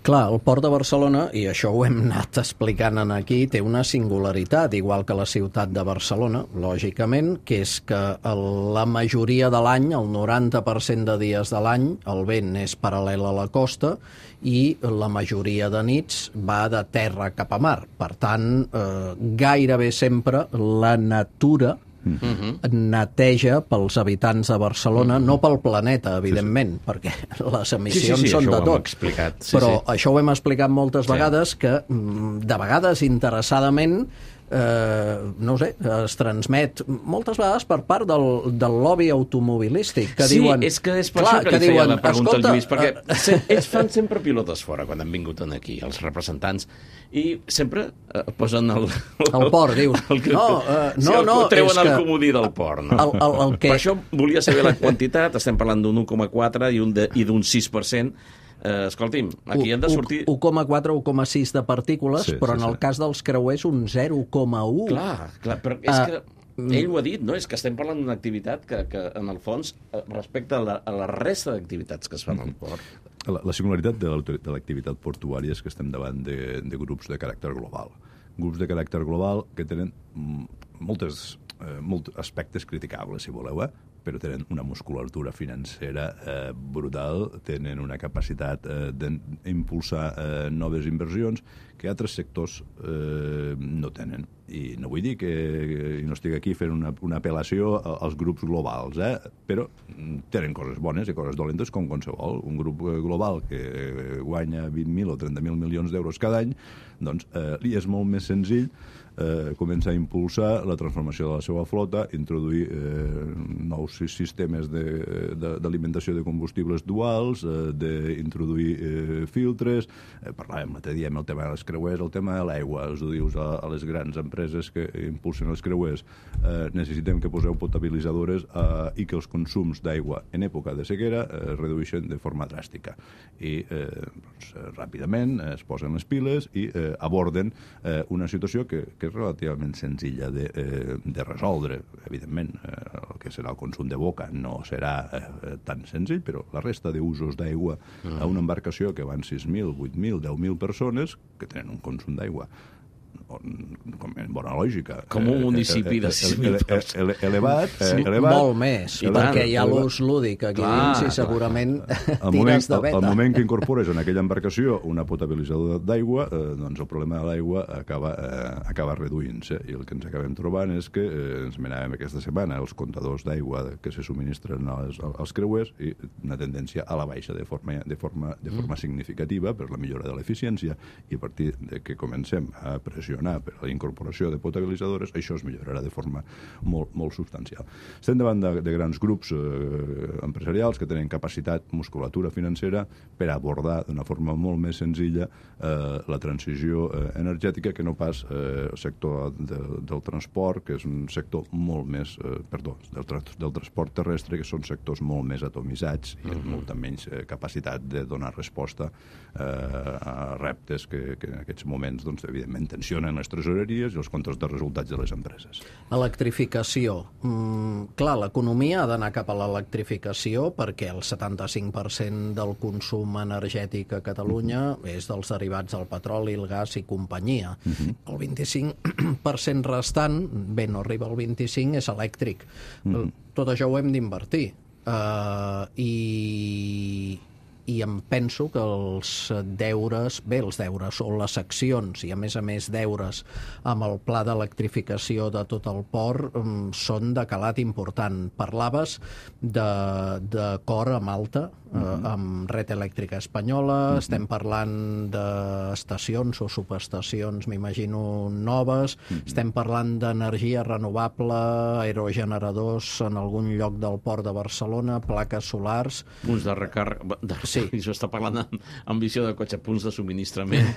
Clar, el Port de Barcelona, i això ho hem anat explicant aquí, té una singularitat, igual que la ciutat de Barcelona, lògicament, que és que la majoria de l'any, el 90% de dies de l'any, el vent és paral·lel a la costa i la majoria de nits va de terra cap a mar. Per tant, gairebé sempre la natura neteja pels habitants de Barcelona, no pel planeta, evidentment, perquè les emissions són de tot. Però això ho hem explicat moltes vegades, que de vegades interessadament no sé, es transmet moltes vegades per part del lobby automobilístic, que diuen... Sí, és que és per això que li feia la pregunta al Lluís, perquè ells fan sempre pilotes fora quan han vingut aquí, els representants, i sempre posen el port, dius. No, treuen el comodí del port. Per això volia saber la quantitat, estem parlant d'un 1,4 i d'un 6%. Escolti'm, aquí han de sortir... 1,4 o 1,6 de partícules, però en el cas dels creuers un 0,1. Clar, però és que ell ho ha dit, no? És que estem parlant d'una activitat que en el fons, respecte a la resta d'activitats que es fan al port... La singularitat de l'activitat portuària és que estem davant de grups de caràcter global. Grups de caràcter global que tenen molts aspectes criticables, si voleu, però tenen una musculatura financera brutal, tenen una capacitat d'impulsar noves inversions que altres sectors no tenen. I no vull dir que no estic aquí fent una apel·lació als grups globals, però tenen coses bones i coses dolentes com qualsevol. Un grup global que guanya 20.000 o 30.000 milions d'euros cada any, doncs li és molt més senzill començar a impulsar la transformació de la seva flota, introduir nous sistemes d'alimentació de combustibles duals, d'introduir filtres. Parlàvem l'altre dia amb el tema dels creuers, el tema de l'aigua. Els ho dius a les grans empreses que impulsen els creuers. Necessitem que poseu potabilitzadores i que els consums d'aigua en època de sequera es redueixen de forma dràstica. I ràpidament es posen les piles i aborden una situació que és relativament senzilla de resoldre. Evidentment, el que serà el consum de boca no serà tan senzill, però la resta d'usos d'aigua a una embarcació que van 6.000, 8.000, 10.000 persones que tenen un consum d'aigua en bona lògica. Com un municipi de 6.000 persones. Elevat. Molt més, perquè hi ha l'ús lúdic aquí dins i segurament tires de veta. Al moment que incorpores en aquella embarcació una potabilitzadora d'aigua, doncs el problema de l'aigua acaba reduint-se, i el que ens acabem trobant és que ens menàvem aquesta setmana els comptadors d'aigua que se subministren als creuers i una tendència a la baixa de forma significativa per la millora de l'eficiència, i a partir de que comencem a pressionar per la incorporació de potabilitzadores, això es millorarà de forma molt substancial. Estem davant de grans grups empresarials que tenen capacitat, musculatura financera per abordar d'una forma molt més senzilla la transició energètica que no pas el sector del transport, que és un sector molt més... del transport terrestre, que són sectors molt més atomitzats i amb molta menys capacitat de donar resposta a reptes que en aquests moments, doncs, evidentment, tensionen les tresoreries i els comptes de resultats de les empreses. Electrificació. Clar, l'economia ha d'anar cap a l'electrificació perquè el 75% del consum energètic a Catalunya és dels derivats del petroli, el gas i companyia. El 25% restant, bé, no arriba al 25%, és elèctric. Tot això ho hem d'invertir. I em penso que els deures o les accions, i a més deures amb el pla d'electrificació de tot el port són de calat important. Parlaves d'acord amb Malta, amb Red Elèctrica Espanyola, estem parlant estacions o subestacions, m'imagino, noves. Estem parlant d'energia renovable, aerogeneradors en algun lloc del port de Barcelona, plaques solars... Punts de recàrrega... Sí. Això està parlant amb visió de cotxe, punts de subministrament.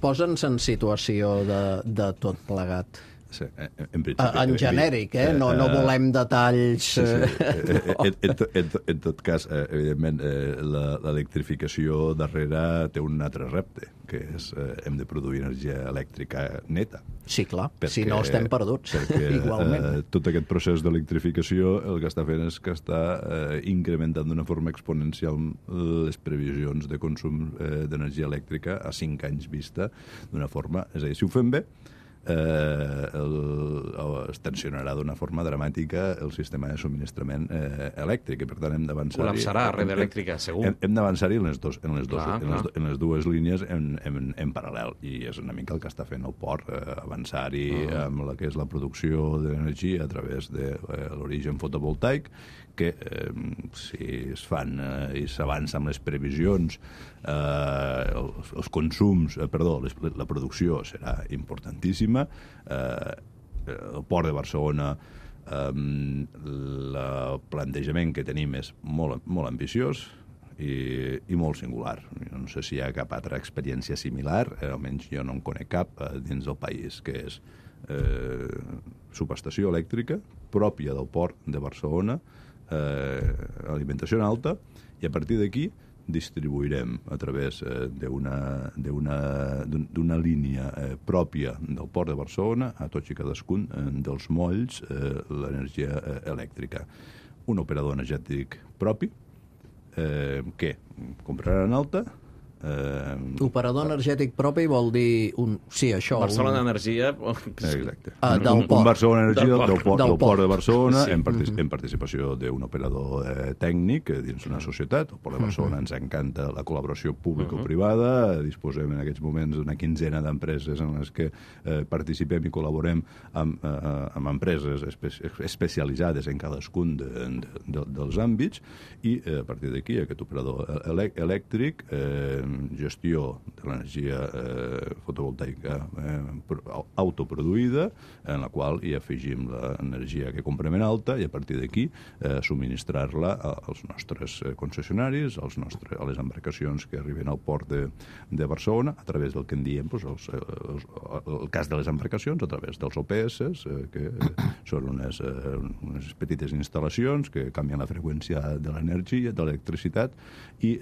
Posa'ns en situació de tot plegat. Sí, en principi... En genèric, no volem detalls... En tot cas, evidentment, l'electrificació darrere té un altre repte, que és hem de produir energia elèctrica neta. Sí, clar, si no estem perduts, igualment. Tot aquest procés d'electrificació el que està fent és que està incrementant d'una forma exponencial les previsions de consum d'energia elèctrica a 5 anys vista d'una forma... És a dir, si ho fem bé, es tensionarà d'una forma dramàtica el sistema de subministrament elèctric, i per tant hem d'avançar... Col·lapsarà la red elèctrica, segur. Hem d'avançar-hi en les dues línies en paral·lel, i és una mica el que està fent el port, avançar-hi amb la que és la producció d'energia a través de l'origen fotovoltaic, que si es fan i s'avança amb les previsions, els consums, la producció serà importantíssima. El port de Barcelona, el plantejament que tenim és molt, molt ambiciós i molt singular. No sé si hi ha cap altra experiència similar, almenys jo no en conec cap dins del país, que és subestació elèctrica pròpia del port de Barcelona, alimentació en alta, i a partir d'aquí distribuirem a través d'una línia pròpia del port de Barcelona a tots i cadascun dels molls l'energia elèctrica. Un operador energètic propi que comprarà en alta. Operador energètic propi vol dir això. Barcelona Energia. Exacte. Del port. Un Barcelona Energia del port de Barcelona, Sí. en participació d'un operador tècnic dins una societat. El port de Barcelona ens encanta la col·laboració público-privada. Disposem en aquests moments d'una quinzena d'empreses en les que participem i col·laborem amb empreses especialitzades en cadascun dels àmbits, i a partir d'aquí aquest operador elèctric, gestió de l'energia fotovoltaica autoproduïda, en la qual hi afegim l'energia que comprem en alta, i a partir d'aquí subministrar-la als nostres concessionaris, a les embarcacions que arriben al port de Barcelona, a través del que en diem el cas de les embarcacions, a través dels OPS, que són unes petites instal·lacions que canvien la freqüència de l'energia, de l'electricitat, i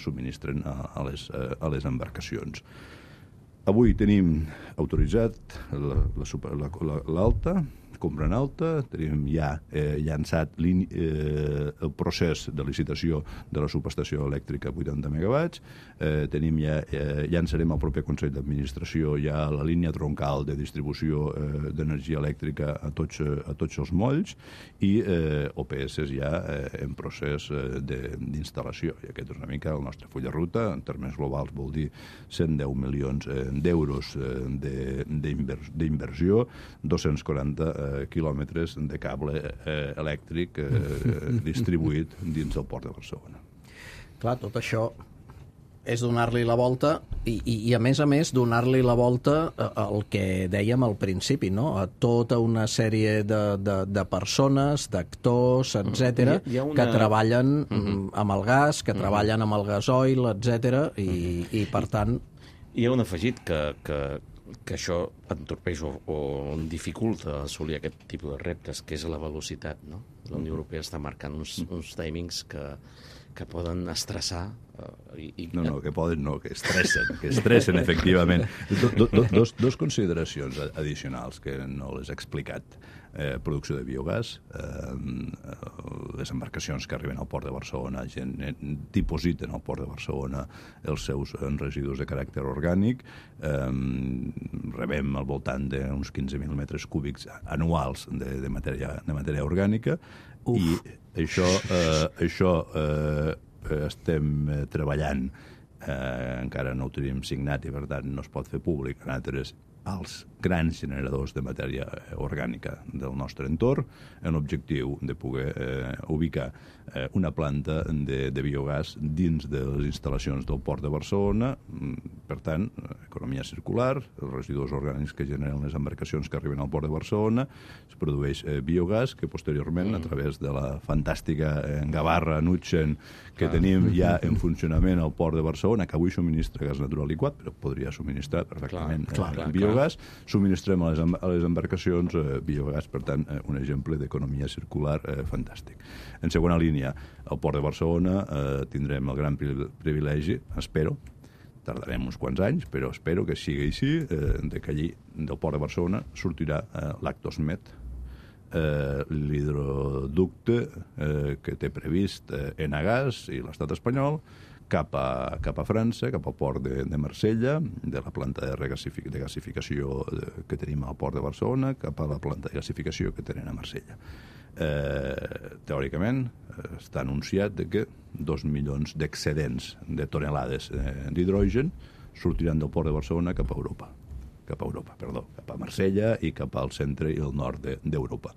subministren a les embarcacions. Avui tenim autoritzat l'alta, compra en alta, tenim ja llançat el procés de licitació de la subestació elèctrica 80 megawatts, llançarem al proper Consell d'Administració ja la línia troncal de distribució d'energia elèctrica a tots els molls, i OPS ja en procés d'instal·lació. I aquest és una mica el nostre full de ruta. En termes globals vol dir 110 milions d'euros d'inversió, 240 quilòmetres de cable elèctric distribuït dins del port de Barcelona. Clar, tot això és donar-li la volta i a més donar-li la volta al que dèiem al principi, no? A tota una sèrie de persones, d'actors, etc., que treballen amb el gas, que treballen amb el gasoil, etc., i per tant... Hi ha un afegit que això entorpeix o dificulta assolir aquest tipus de reptes, que és la velocitat, no? La Unió Europea està marcant uns timings que poden estressar. No, que poden no, que estressen, efectivament. Dos consideracions addicionals que no les he explicat. Producció de biogàs, les embarcacions que arriben al port de Barcelona dipositen al port de Barcelona els seus residus de caràcter orgànic, rebem al voltant d'uns 15.000 metres cúbics anuals de matèria orgànica. I això estem treballant, encara no ho tenim signat i per tant no es pot fer públic, en altres als grans generadors de matèria orgànica del nostre entorn, amb l'objectiu de poder ubicar una planta de biogàs dins de les instal·lacions del Port de Barcelona. Per tant, economia circular, els residus orgànics que generen les embarcacions que arriben al Port de Barcelona, es produeix biogàs que posteriorment, a través de la fantàstica gavarra Nutxen que tenim ja en funcionament al Port de Barcelona, que avui subministra gas natural liquat, però podria subministrar perfectament biogàs, subministrem a les embarcacions biogàs, per tant, un exemple d'economia circular fantàstic. En segona línia, al Port de Barcelona tindrem el gran privilegi, espero, tardarem uns quants anys, però espero que sigui així, que allí, del Port de Barcelona, sortirà l'Actosmed, l'hidroducte que té previst Enagás i l'estat espanyol cap a França, cap al port de Marsella, de la planta de gasificació que tenim al Port de Barcelona, cap a la planta de gasificació que tenen a Marsella. Teòricament està anunciat que 2 milions d'excedents de tonelades d'hidrogen sortiran del Port de Barcelona cap a Marsella i cap al centre i el nord d'Europa.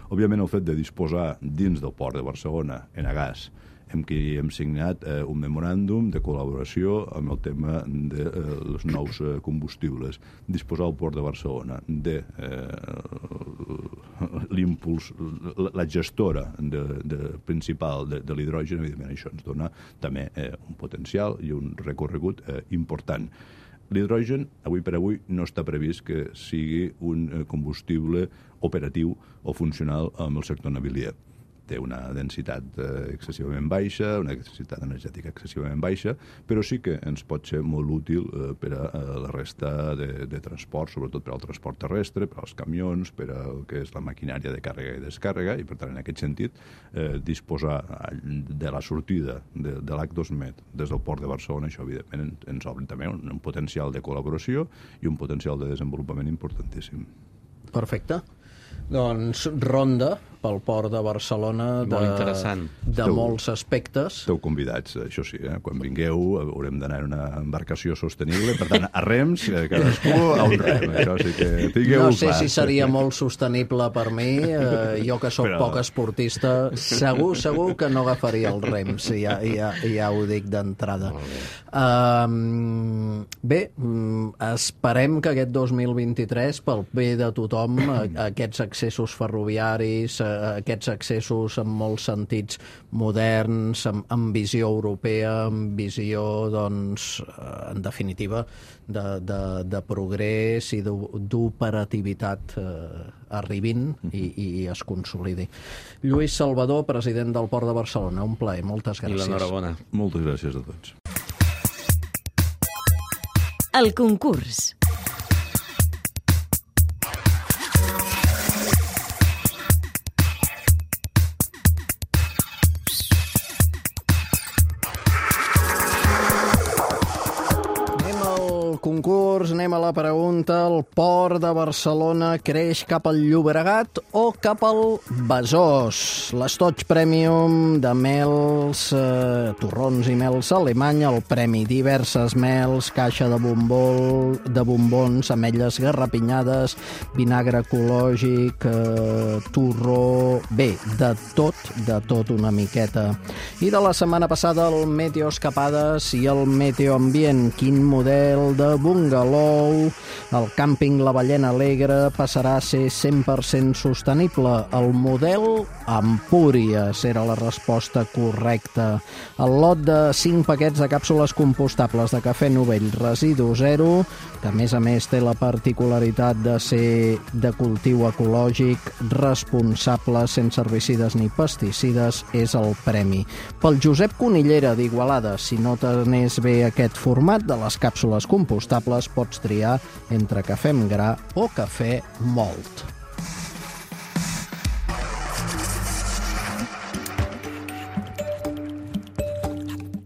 Òbviament, el fet de disposar dins del Port de Barcelona Enagás, amb qui hem signat un memoràndum de col·laboració amb el tema dels nous combustibles, disposar al Port de Barcelona de l'impuls, la gestora principal de l'hidrogen, evidentment això ens dona també un potencial i un recorregut important. L'hidrogen, avui per avui, no està previst que sigui un combustible operatiu o funcional amb el sector navilier. Té una densitat excessivament baixa, una densitat energètica excessivament baixa, però sí que ens pot ser molt útil per a la resta de transport, sobretot per al transport terrestre, per als camions, per al que és la maquinària de càrrega i descàrrega, i per tant, en aquest sentit, disposar de la sortida de l'Actosmed des del Port de Barcelona, això evidentment ens obre també un potencial de col·laboració i un potencial de desenvolupament importantíssim. Perfecte. Doncs ronda pel Port de Barcelona de molts aspectes. Esteu convidats, això sí, quan vingueu haurem d'anar en una embarcació sostenible, per tant, a rems, cadascú a un rem, això sí que tingueu clar. No sé si seria molt sostenible per mi, jo que sóc poc esportista, segur que no agafaria els rems, ja ho dic d'entrada. Bé, esperem que aquest 2023, pel bé de tothom, aquests accessos ferroviaris, aquests accessos en molts sentits moderns, amb visió europea, amb visió, doncs, en definitiva, de progrés i d'operativitat arribin i es consolidi. Lluís Salvador, president del Port de Barcelona, un plaer, moltes gràcies. I l'enhorabona. Moltes gràcies a tots. El concurs. Concurs, anem a la pregunta. El Port de Barcelona creix cap al Llobregat o cap al Besòs? L'Estoig Premium de mels, torrons i mels Alemanya, el premi diverses mels, caixa de bombons, ametlles garrapinyades, vinagre ecològic, torró... Bé, de tot una miqueta. I de la setmana passada el Meteo Escapades i el Meteo Ambient. Quin model de bungalou? El càmping La Ballena Alegre passarà a ser 100% sostenible. El model Empúries era la resposta correcta. El lot de 5 paquets de càpsules compostables de cafè Novell Residu Zero, que a més té la particularitat de ser de cultiu ecològic, responsable, sense herbicides ni pesticides, és el premi. Pel Josep Conillera d'Igualada, si no t'anés bé aquest format de les càpsules compostables, pots triar entre cafè amb gra o cafè mòlt.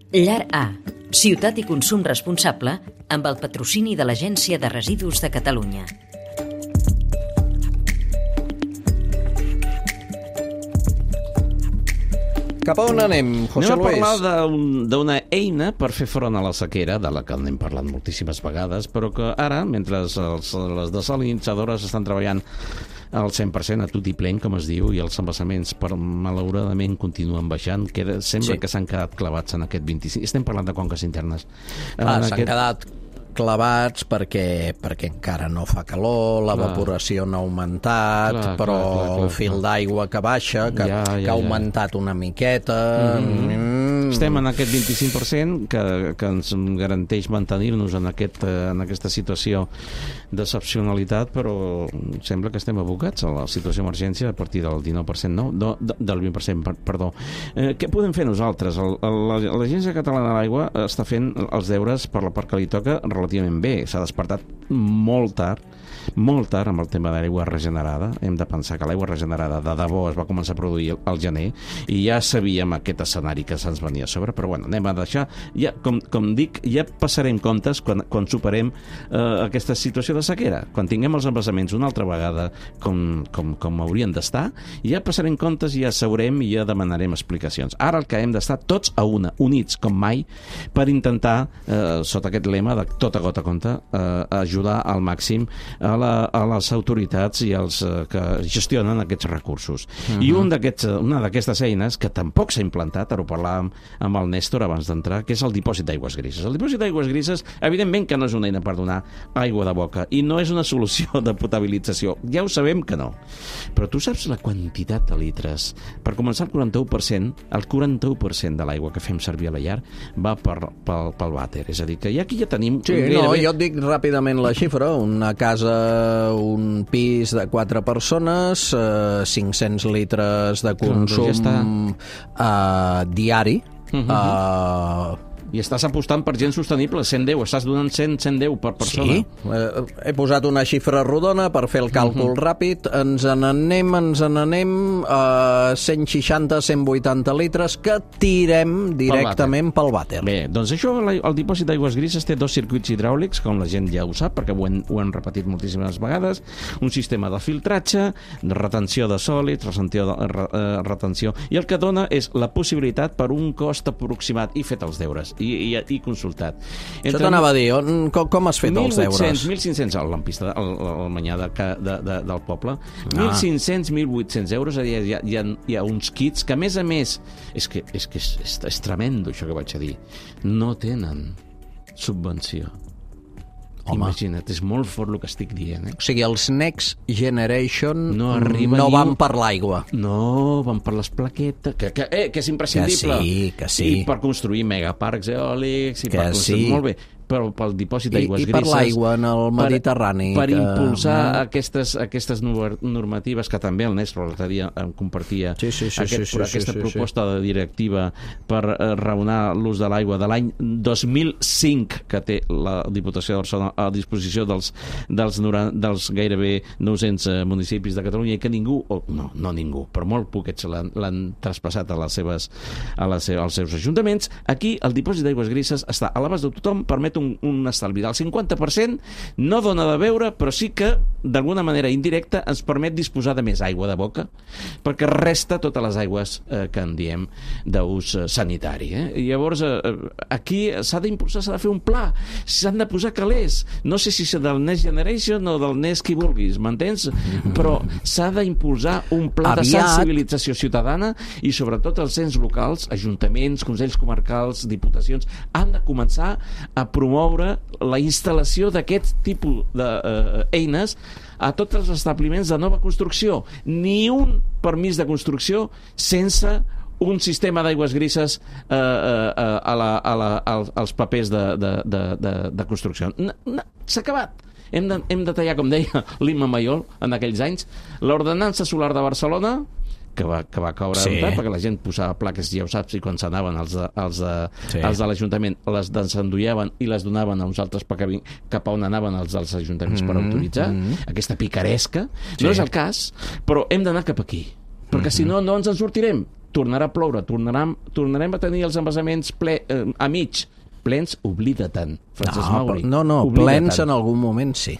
Llar A, ciutat i consum responsable, amb el patrocini de l'Agència de Residus de Catalunya. Cap a on anem, José Luis? Anem a parlar d'una eina per fer front a la sequera, de la que n'hem parlat moltíssimes vegades, però que ara, mentre les desalinitzadores estan treballant al 100% a tot i plen, com es diu, i els embassaments malauradament continuen baixant, sembla que s'han quedat clavats en aquest 25. Estem parlant de conques internes. S'han quedat clavats perquè encara no fa calor, l'evaporació no ha augmentat, però el fil d'aigua que baixa, que ha augmentat una miqueta... Estem en aquest 25% que ens garanteix mantenir-nos en aquesta situació d'excepcionalitat, però sembla que estem abocats a la situació d'emergència a partir del 19%, del 20%, perdó. Què podem fer nosaltres? L'Agència Catalana de l'Aigua està fent els deures per la part que li toca relativament bé. S'ha despertat molt tard amb el tema de l'aigua regenerada. Hem de pensar que l'aigua regenerada de debò es va començar a produir al gener i ja sabíem aquest escenari que se'ns venia a sobre, però bueno, anem a deixar, ja, com dic, ja passarem comptes quan superem aquesta situació de sequera, quan tinguem els embassaments una altra vegada com haurien d'estar, ja passarem comptes i ja sabrem i ja demanarem explicacions. Ara el que hem d'estar tots a una, units com mai, per intentar, sota aquest lema de tota gota compta, ajudar al màxim a les autoritats i els que gestionen aquests recursos. I una d'aquestes eines, que tampoc s'ha implantat, ara ho parlàvem amb el Néstor abans d'entrar, que és el dipòsit d'aigües grises. El dipòsit d'aigües grises, evidentment que no és una eina per donar aigua de boca i no és una solució de potabilització. Ja ho sabem que no. Però tu saps la quantitat de litres? Per començar, el 41% de l'aigua que fem servir a la llar va pel vàter. És a dir, que aquí ja tenim... Sí, no, jo et dic ràpidament la xifra. Una casa, un pis de 4 persones, 500 litres de consum diari. I estàs apostant per gent sostenible, 110, estàs donant 110 per persona. Sí, he posat una xifra rodona per fer el càlcul ràpid, ens n'anem a 160-180 litres que tirem directament pel vàter. Bé, doncs això, el dipòsit d'aigües grises té 2 circuits hidràulics, com la gent ja ho sap, perquè ho hem repetit moltíssimes vegades, un sistema de filtratge, de retenció de sòlids, retenció, i el que dona és la possibilitat per un cost aproximat, i fet els deures, i consultat. Això t'anava a dir, com has fet els deures? 1.500 a l'ampista, al manyà del poble, 1.500, 1.800 euros, hi ha uns kits que, a més, és tremendo això que vaig a dir, no tenen subvenció. Imagina't, és molt fort el que estic dient. O sigui, els Next Generation no van per l'aigua. No, van per les plaquetes, que és imprescindible. Que sí. I per construir megaparcs eòlics, i per construir... Molt bé, però pel dipòsit d'aigües grises... I per l'aigua en el Mediterrani. Per impulsar aquestes normatives, que també el Néstor l'altre dia compartia, aquesta proposta de directiva per raonar l'ús de l'aigua de l'any 2005, que té la Diputació de Barcelona a disposició dels gairebé 900 municipis de Catalunya, i que ningú, no ningú, però molt poquets l'han traspassat als seus ajuntaments. Aquí el dipòsit d'aigües grises està a l'abast de tothom, permet un estalvi del 50%, no dona de beure, però sí que d'alguna manera indirecta ens permet disposar de més aigua de boca, perquè resta totes les aigües que en diem d'ús sanitari. I llavors aquí s'ha d'impulsar, s'ha de fer un pla, s'han de posar calés, no sé si és del Next Generation o del Next qui vulguis, m'entens? Però s'ha d'impulsar un pla de sensibilització ciutadana, i sobretot els ens locals, ajuntaments, consells comarcals, diputacions, han de començar a promoure la instal·lació d'aquest tipus d'eines a tots els establiments de nova construcció. Ni un permís de construcció sense un sistema d'aigües grises als papers de construcció. S'ha acabat. Hem de tallar, com deia l'Imma Mayol en aquells anys, l'ordenança solar de Barcelona, que va caure perquè la gent posava plaques, ja ho saps, i quan s'anaven els de l'Ajuntament les desendollaven i les donaven a uns altres cap a on anaven els dels ajuntaments per autoritzar, aquesta picaresca. No és el cas, però hem d'anar cap aquí, perquè si no, no ens en sortirem. Tornarà a ploure, tornarem a tenir els embassaments a mig. Plens, oblida-te'n, Francesc Mauri. No, plens en algun moment sí.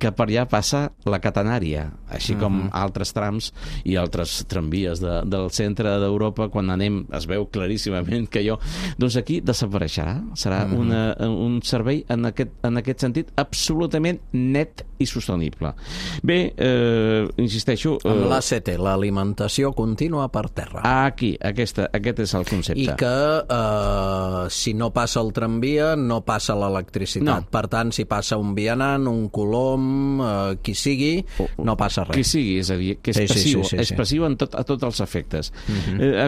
que per allà passa la catenària, així com altres trams i altres tramvies del centre d'Europa. Quan anem es veu claríssimament que allò, doncs aquí desapareixerà, serà un servei en aquest sentit absolutament net i sostenible. Bé, insisteixo... Amb l'ACT, l'alimentació contínua per terra. Aquí, aquest és el concepte. I que si no passa el tramvia, no passa l'electricitat. No. Per tant, si passa un vianant, un colom, qui sigui, no passa res. Qui sigui, és a dir, que és passiu, és passiu a tots els efectes.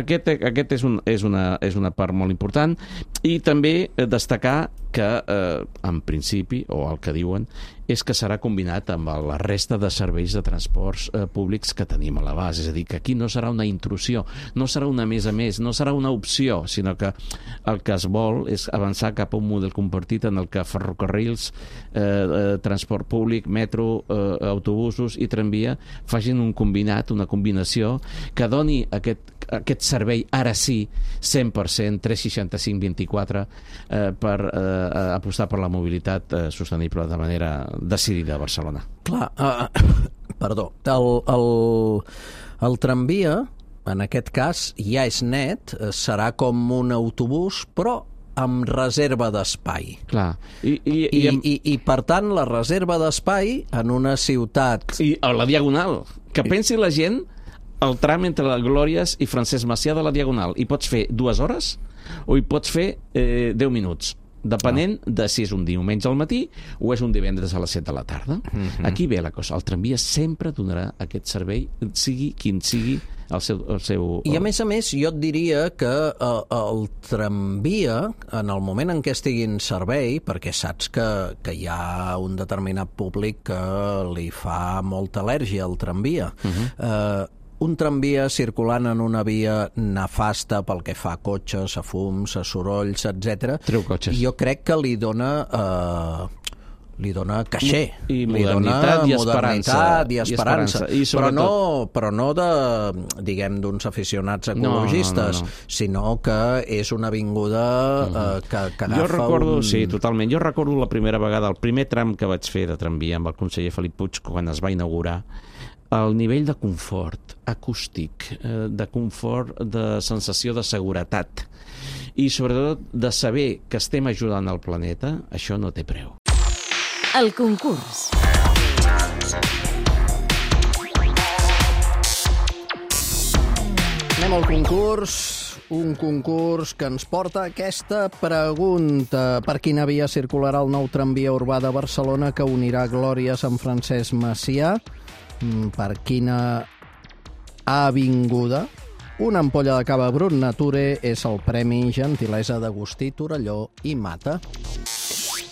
Aquest és una part molt important, i també destacar que, en principi, o el que diuen, és que serà combinat amb la resta de serveis de transports públics que tenim a l'abast. És a dir, que aquí no serà una intrusió, no serà una més a més, no serà una opció, sinó que el que es vol és avançar cap a un model compartit en el que ferrocarrils, transport públic, metro, autobusos i tramvia facin un combinat, una combinació que doni aquest servei, ara sí, 100%, 365-24, per apostar per la mobilitat sostenible de manera decidida a Barcelona. Clar, perdó, el tramvia, en aquest cas, ja és net, serà com un autobús, però amb reserva d'espai. Clar. I per tant, la reserva d'espai en una ciutat... I a la Diagonal, que pensi la gent el tram entre la Glòries i Francesc Macià de la Diagonal. Hi pots fer 2 hores o hi pots fer 10 minuts, depenent de si és un diumenge al matí o és un divendres a les 7 de la tarda. Aquí ve la cosa. El tramvia sempre donarà aquest servei, sigui quin sigui el seu... I a més, jo et diria que el tramvia, en el moment en què estigui en servei, perquè saps que hi ha un determinat públic que li fa molta al·lèrgia al tramvia, un tramvia circulant en una via nefasta pel que fa a cotxes, a fums, a sorolls, etc. Treu cotxes. Jo crec que li dona caixer. I modernitat i esperança. I sobretot... Però no de, diguem, d'uns aficionats ecologistes, sinó que és una avinguda que agafa jo recordo, sí, totalment. Jo recordo la primera vegada, el primer tram que vaig fer de tramvia amb el conseller Felip Puig quan es va inaugurar, el nivell de confort acústic, de confort, de sensació de seguretat i sobretot de saber que estem ajudant al planeta, això no té preu. El concurs. Anem al concurs, un concurs que ens porta aquesta pregunta. Per quina via circularà el nou tramvia urbà de Barcelona que unirà Glòries amb Francesc Macià? Per quina avinguda? Una ampolla de cava Brut Nature és el Premi Gentilesa d'Agustí Torelló i Mata.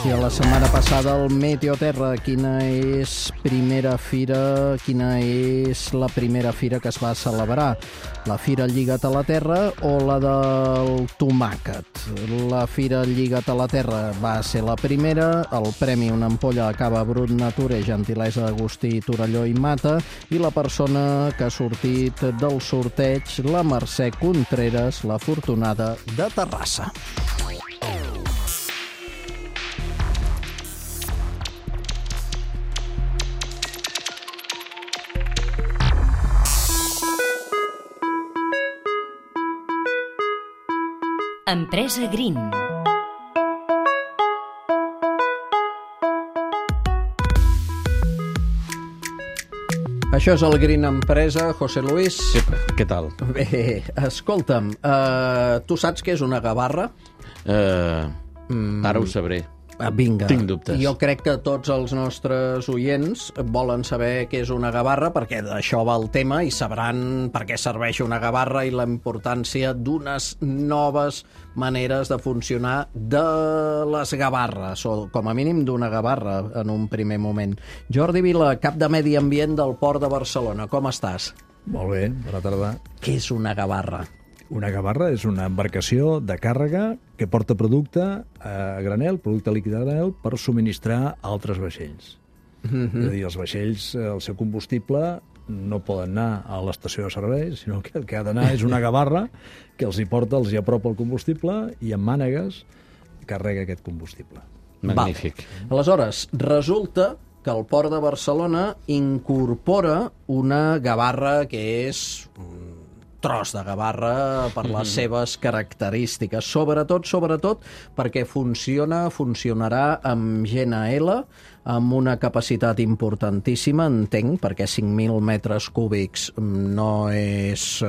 I la setmana passada el Meteoterra, quina és la primera fira que es va celebrar? La Fira Lliga't a la Terra o la del tomàquet? La Fira Lliga't a la Terra va ser la primera, el premi una ampolla de cava Brut Nature, gentilesa d'Agustí Torelló i Mata, i la persona que ha sortit del sorteig, la Mercè Contreras, la afortunada de Terrassa. Empresa Green. Això és el Green Empresa, José Luis. Què tal? Bé, escolta'm, tu saps què és una gavarra? Ara ho sabré. Vinga, tinc dubtes. Jo crec que tots els nostres oients volen saber què és una gavarra, perquè d'això va el tema i sabran per què serveix una gavarra i la importància d'unes noves maneres de funcionar de les gavarres, o com a mínim d'una gavarra en un primer moment. Jordi Vila, cap de Medi Ambient del Port de Barcelona, com estàs? Molt bé, bona tarda. Què és una gavarra? Una gavarra és una embarcació de càrrega que porta producte a granel, producte líquid a granel, per subministrar altres vaixells. És a dir, els vaixells, el seu combustible, no poden anar a l'estació de servei, sinó que el que ha d'anar és una gavarra que els hi porta, els hi apropa el combustible i amb mànegues carrega aquest combustible. Magnífic. Aleshores, resulta que el Port de Barcelona incorpora una gavarra que és un tros de gavarra per les seves característiques. Sobretot, perquè funcionarà amb GNL, amb una capacitat importantíssima, entenc, perquè 5.000 metres cúbics no és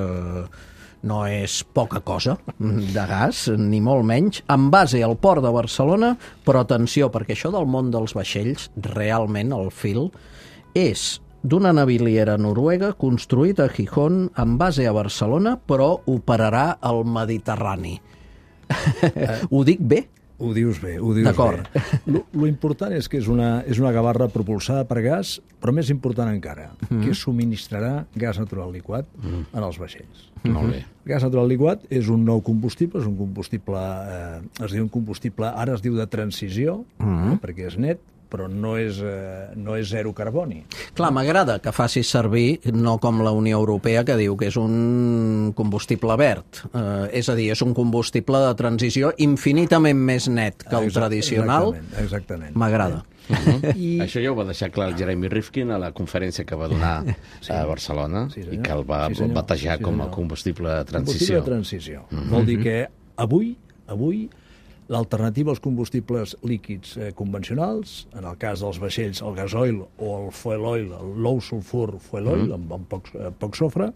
poca cosa de gas, ni molt menys, en base al Port de Barcelona, però atenció, perquè això del món dels vaixells, realment el fil és d'una naviliera noruega construït a Gijón en base a Barcelona, però operarà al Mediterrani. Ho dic bé? Ho dius bé, ho dius D'acord. bé. Lo important és que és una gavarra propulsada per gas, però més important encara, que subministrarà gas natural liquat en els vaixells. Molt bé. El gas natural liquat és un nou combustible, és un combustible, ara es diu de transició, perquè és net, però no és zero carboni. Clar, m'agrada que facis servir, no com la Unió Europea, que diu que és un combustible verd. És a dir, és un combustible de transició infinitament més net que el tradicional. Exactament. M'agrada. Això ja ho va deixar clar el Jeremy Rifkin a la conferència que va donar a Barcelona, i que el va batejar com a combustible de transició. Combustible de transició. Vol dir que avui l'alternativa als combustibles líquids convencionals, en el cas dels vaixells, el gasoil o el fuel oil, el low sulfur fuel oil, amb poc sofre,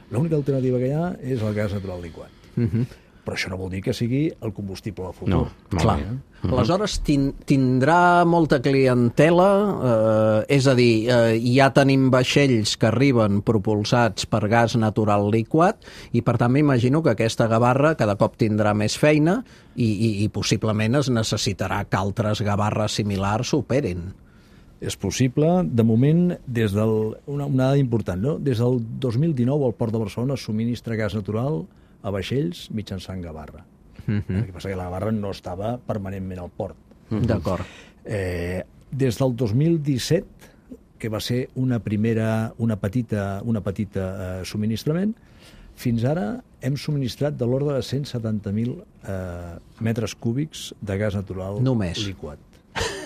l'única alternativa que hi ha és el gas natural liquat. Però això no vol dir que sigui el combustible del futur. No, clar. Aleshores, tindrà molta clientela, és a dir, ja tenim vaixells que arriben propulsats per gas natural liquat i, per tant, m'imagino que aquesta gavarra cada cop tindrà més feina i possiblement es necessitarà que altres gavarres similars operin. És possible. De moment, una dada important, no? Des del 2019 el Port de Barcelona subministra gas natural a vaixells mitjançant gavarra. El que passa que la gavarra no estava permanentment al port. D'acord. Des del 2017, que va ser una petita subministrament, fins ara hem subministrat de l'ordre de 170.000 metres cúbics de gas natural liquat.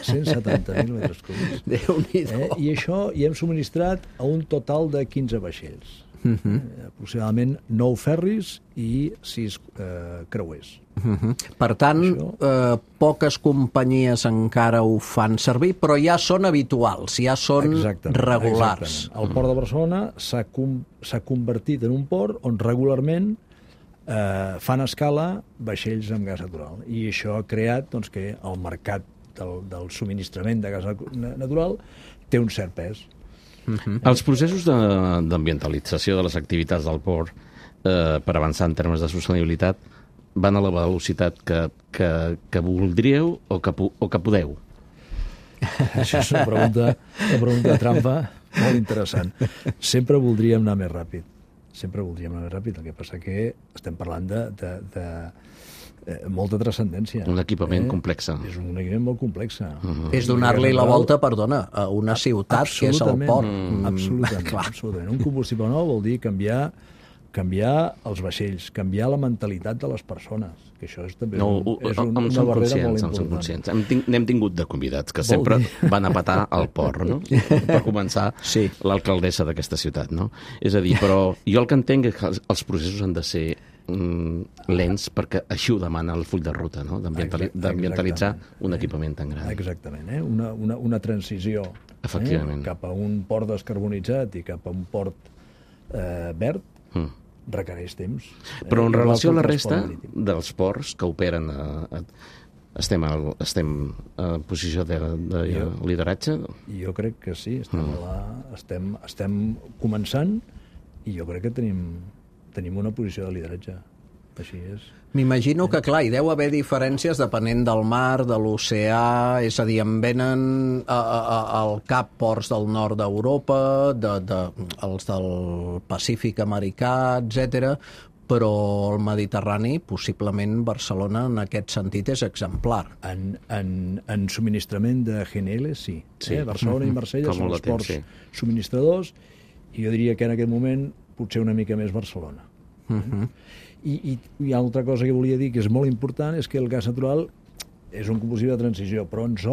170.000 metres cúbics. Déu-n'hi-do. I això hi hem subministrat a un total de 15 vaixells. Aproximadament 9 ferris i 6 creuers. Per tant, poques companyies encara ho fan servir, però ja són habituals, ja són regulars. Exactament. El Port de Barcelona s'ha convertit en un port on regularment fan escala vaixells amb gas natural. I això ha creat que el mercat del subministrament de gas natural té un cert pes. Els processos d'ambientalització de les activitats del port per avançar en termes de sostenibilitat van a la velocitat que voldríeu o que podeu? Això és una pregunta trampa molt interessant. Sempre voldríem anar més ràpid. El que passa que estem parlant de molta transcendència. Un equipament complex. És un equipament molt complex. És donar-li la volta, perdona, a una ciutat que és el port. Absolutament. Un combustible nou vol dir canviar els vaixells, canviar la mentalitat de les persones, que això és també una barrera molt important. N'hem tingut de convidats que sempre van a petar al port, no? Per començar, l'alcaldessa d'aquesta ciutat, no? És a dir, però jo el que entenc és que els processos han de ser lents perquè així ho demana el full de ruta, no? D'ambientalitzar un equipament tan gran. Exactament, una transició cap a un port descarbonitzat i cap a un port verd requereix temps. Però en relació a la resta dels ports que operen estem en posició de lideratge? Jo crec que sí, estem començant i jo crec que tenim una posició de lideratge. Així és. M'imagino que, clar, hi deu haver diferències depenent del mar, de l'oceà, és a dir, em venen al cap ports del nord d'Europa, els del Pacífic americà, etc. Però el Mediterrani, possiblement Barcelona, en aquest sentit, és exemplar. En subministrament de GNL, sí. Barcelona i Marsella són els ports subministradors, i jo diria que en aquest moment potser una mica més Barcelona. I hi ha altra cosa que volia dir que és molt important, és que el gas natural és un combustible de transició, però ens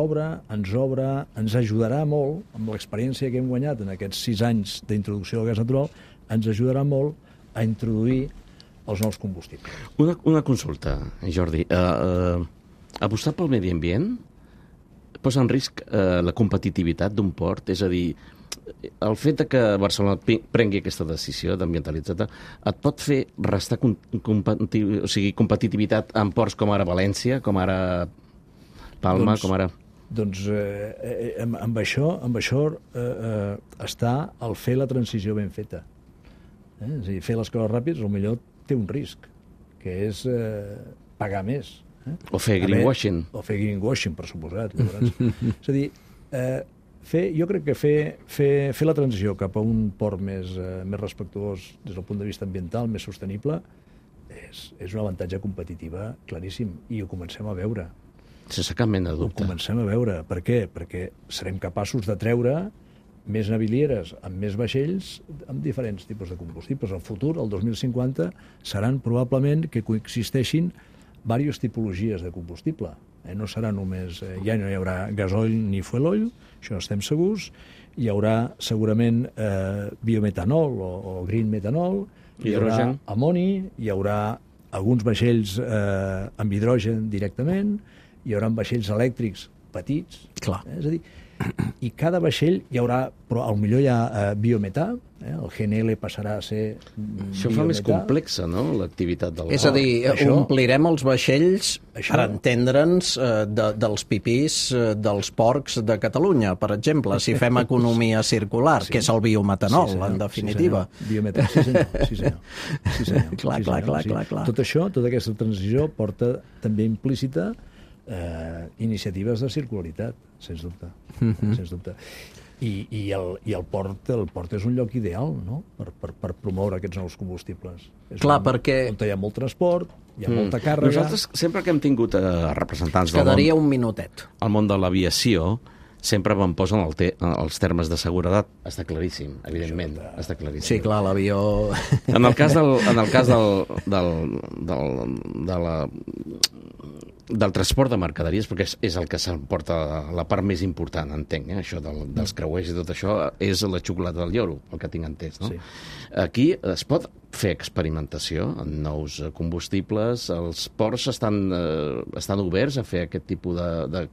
ajudarà molt, amb l'experiència que hem guanyat en aquests 6 anys d'introducció del gas natural, ens ajudarà molt a introduir els nous combustibles. Una consulta, Jordi. Apostar pel medi ambient posa en risc la competitivitat d'un port? És a dir, el fet que Barcelona prengui aquesta decisió d'ambientalitzar et pot fer restar competitivitat en ports com ara València, com ara Palma, com ara... Doncs amb això està el fer la transició ben feta. És a dir, fer les coses ràpides potser té un risc, que és pagar més. O fer greenwashing. O fer greenwashing, per suposat. És a dir, jo crec que fer la transició cap a un port més respectuós des del punt de vista ambiental, més sostenible, és un avantatge competitiva claríssim, i ho comencem a veure. Sense cap mena de dubte. Ho comencem a veure. Per què? Perquè serem capaços de treure més navilieres amb més vaixells amb diferents tipus de combustibles. El futur, el 2050, seran probablement que coexisteixin diverses tipologies de combustible. No serà només... Ja no hi haurà gasoil ni fuel oil, això estem segurs. Hi haurà segurament biometanol o green metanol, hi haurà amoni, hi haurà alguns vaixells amb hidrogen directament, hi haurà vaixells elèctrics petits. Clar. És a dir, i cada vaixell hi haurà, però potser hi ha biometà, el GNL passarà a ser biometà. Això fa més complexa, no?, l'activitat del port. És a dir, omplirem els vaixells, per entendre'ns, dels pipís dels porcs de Catalunya, per exemple, si fem economia circular, que és el biometanol, en definitiva. Biometà, sí senyor. Clar. Tot això, tota aquesta transició porta també implícita iniciatives de circularitat, sens dubte. Sens dubte. I el port és un lloc ideal, no?, per promoure aquests nous combustibles. Clar, perquè... On hi ha molt transport, hi ha molta càrrega... Nosaltres, sempre que hem tingut representants del món... Quedaria un minutet. Al món de l'aviació, sempre em posen els termes de seguretat. Està claríssim, evidentment. Està claríssim. Sí, clar, l'avió... En el cas del transport de mercaderies, perquè és el que s'emporta la part més important, entenc, això dels creuers i tot això, és la xocolata del lloro, el que tinc entès, no? Sí. Aquí es pot fer experimentació en nous combustibles, els ports estan oberts a fer aquest tipus de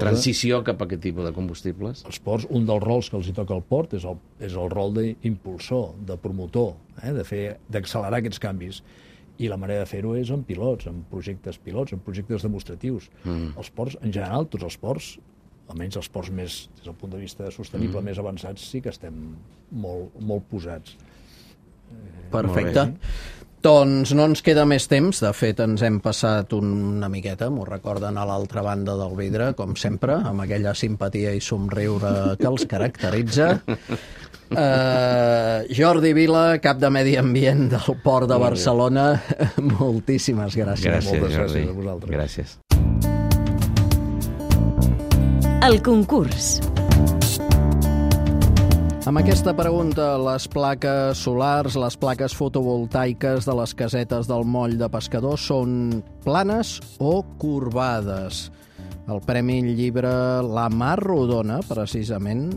transició cap a aquest tipus de combustibles? Els ports, un dels rols que els hi toca al port és el rol d'impulsor, de promotor, d'accelerar aquests canvis. I la manera de fer-ho és amb pilots, amb projectes pilots, amb projectes demostratius. Els ports, en general, tots els ports, almenys els ports més, des del punt de vista sostenible, més avançats, sí que estem molt posats. Perfecte. Doncs no ens queda més temps. De fet, ens hem passat una miqueta, m'ho recorden a l'altra banda del vidre, com sempre, amb aquella simpatia i somriure que els caracteritza. Jordi Vila, cap de Medi Ambient del Port de Barcelona, moltíssimes gràcies. Moltes gràcies a vosaltres. Gràcies. El concurs. Amb aquesta pregunta, les plaques solars, les plaques fotovoltaiques de les casetes del moll de pescadors són planes o corbades? El Premi Llibre La Mar Rodona, precisament,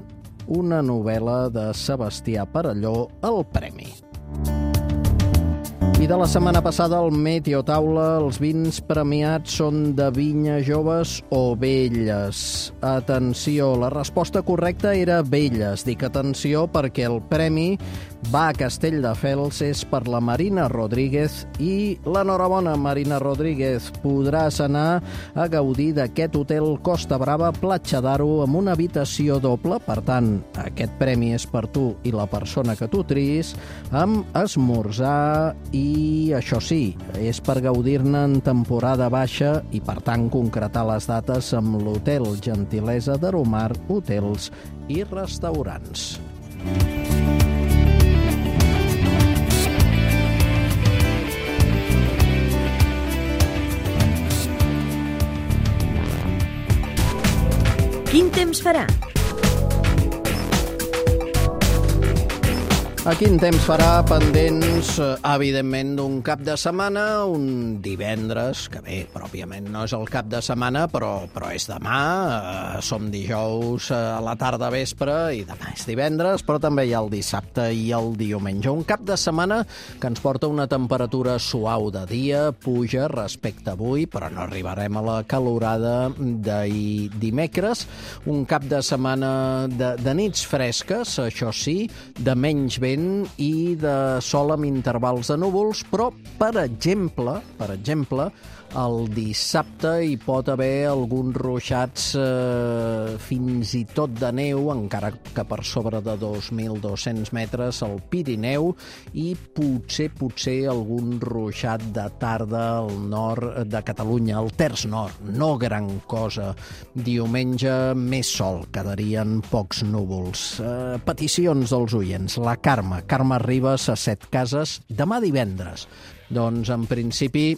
una novel·la de Sebastià Perelló, el premi. I de la setmana passada, el Meteo Taula, els vins premiats són de vinya joves o velles. Atenció, la resposta correcta era velles. Dic atenció perquè el premi va a Castelldefels, és per la Marina Rodríguez, i l'enhorabona, Marina Rodríguez. Podràs anar a gaudir d'aquest hotel Costa Brava, Platja d'Aro, amb una habitació doble. Per tant, aquest premi és per tu i la persona que tu triïs, amb esmorzar i, això sí, és per gaudir-ne en temporada baixa i, per tant, concretar les dates amb l'Hotel Gentilesa d'Aromar, hotels i restaurants. Quin temps farà? Quin temps farà pendents, evidentment, d'un cap de setmana, un divendres, que bé, pròpiament no és el cap de setmana, però és demà, som dijous a la tarda vespre i demà és divendres, però també hi ha el dissabte i el diumenge. Un cap de setmana que ens porta una temperatura suau de dia, puja respecte a avui, però no arribarem a la calorada d'ahir dimecres. Un cap de setmana de nits fresques, això sí, de menys vent i de sol amb intervals de núvols, però, per exemple, el dissabte hi pot haver alguns ruixats fins i tot de neu, encara que per sobre de 2.200 metres al Pirineu, i potser algun ruixat de tarda al nord de Catalunya, al terç nord, no gran cosa. Diumenge més sol, quedarien pocs núvols. Peticions dels oients. La Carme Ribas a Setcases, demà divendres. Doncs en principi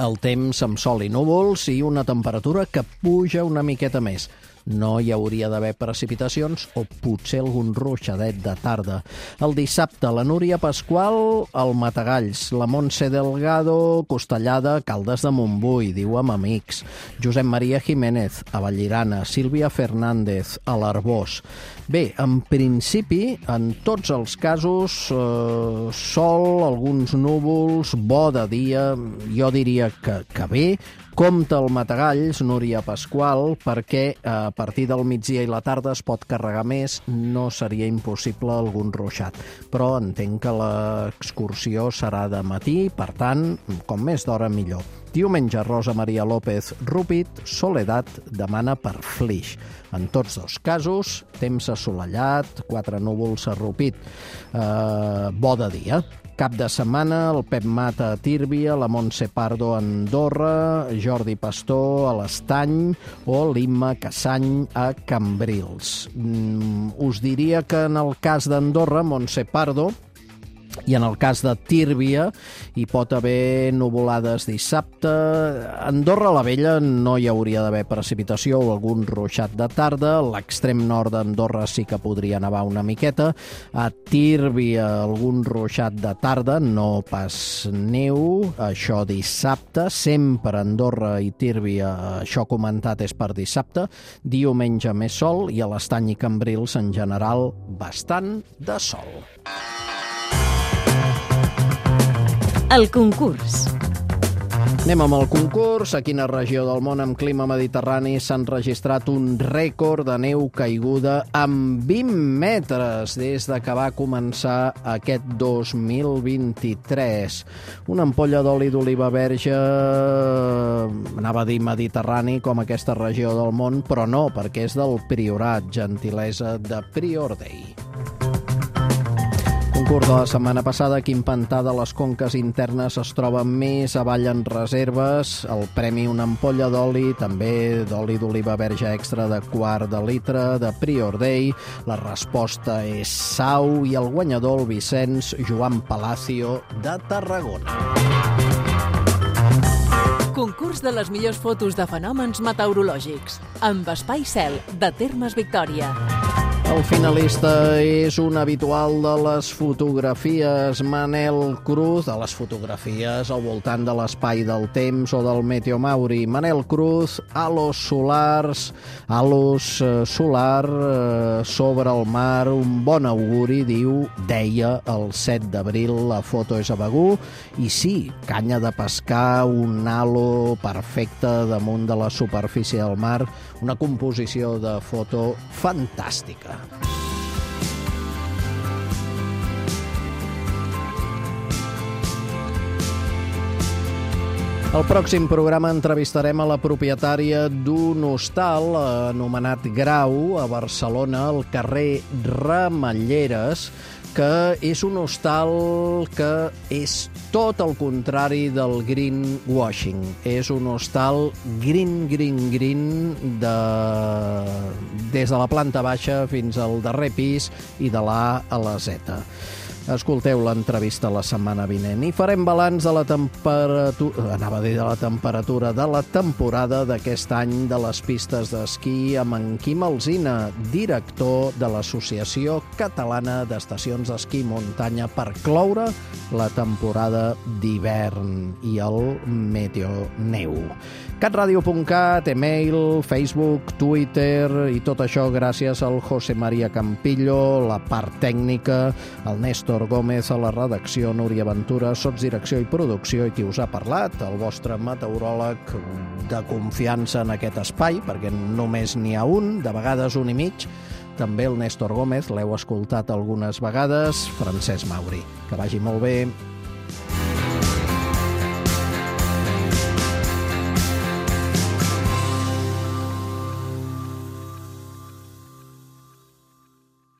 el temps amb sol i núvols i una temperatura que puja una miqueta més. No hi hauria d'haver precipitacions o potser algun ruixadet de tarda. El dissabte, la Núria Pasqual, al Matagalls, la Montse Delgado, Costellada, Caldes de Montbui, diu amb amics, Josep Maria Jiménez, a Vallirana, Sílvia Fernández, a l'Arbós. Bé, en principi, en tots els casos, sol, alguns núvols, bo de dia, jo diria que bé. Compte al Matagalls, Núria Pasqual, perquè a partir del migdia i la tarda es pot carregar més, no seria impossible algun ruixat. Però entenc que l'excursió serà de matí, per tant, com més d'hora millor. Diumenge, Rosa Maria López Rupit, Soledat demana per Flix. En tots dos casos, temps assolellat, 4 núvols a Rupit. Bo de dia. Cap de setmana, el Pep Mata a Tírvia, la Montse Pardo a Andorra, Jordi Pastor a l'Estany o l'Imma Cassany a Cambrils. Us diria que en el cas d'Andorra, Montse Pardo, i en el cas de Tírvia hi pot haver nuvolades dissabte. A Andorra la Vella no hi hauria d'haver precipitació o algun ruixat de tarda. A l'extrem nord d'Andorra sí que podria nevar una miqueta. A Tírvia algun ruixat de tarda, no pas neu. Això dissabte, sempre Andorra i Tírvia, això comentat és per dissabte. Diumenge més sol i a l'Estany i Cambrils en general bastant de sol. El concurs. Anem amb el concurs. A quina regió del món amb clima mediterrani s'han registrat un rècord de neu caiguda amb 20 metres des de que va començar aquest 2023? Una ampolla d'oli d'oliva verge, anava a dir mediterrani, com aquesta regió del món, però no, perquè és del Priorat, gentilesa de Prior Day. Concurs de la setmana passada, quin pantà de les conques internes es troba més avall en reserves? El premi una ampolla d'oli, també d'oli d'oliva verge extra de quart de litre, de Prior Day. La resposta és Sau i el guanyador, el Vicenç Joan Palacio, de Tarragona. Concurs de les millors fotos de fenòmens meteorològics, amb Espai Cel, de Termes Victòria. El finalista és un habitual de les fotografies, Manel Cruz, de les fotografies al voltant de l'espai del temps o del Meteomauri. Manel Cruz, halos solars, solar sobre el mar, un bon auguri, diu, deia el 7 d'abril, la foto és a Begur, i sí, canya de pescar, un halo perfecte damunt de la superfície del mar, una composició de foto fantàstica. Al pròxim programa entrevistarem a la propietària d'un hostal anomenat Grau a Barcelona, al carrer Ramelleres, que és un hostal que és tot el contrari del greenwashing. És un hostal green, des de la planta baixa fins al darrer pis i de l'A a la Z. escolteu l'entrevista la setmana vinent. I farem balanç de la temperatura, de la temperatura de la temporada d'aquest any de les pistes d'esquí amb en Quim Alsina, director de l'Associació Catalana d'Estacions d'Esquí i Muntanya, per cloure la temporada d'hivern i el Meteoneu. catradio.cat, email, Facebook, Twitter i tot això gràcies al José María Campillo, la part tècnica, el Néstor Gómez a la redacció, Núria Ventura, sotsdirecció i producció, i qui us ha parlat, el vostre meteoròleg de confiança en aquest espai, perquè només n'hi ha un, de vegades un i mig, també el Néstor Gómez, l'heu escoltat algunes vegades, Francesc Mauri. Que vagi molt bé.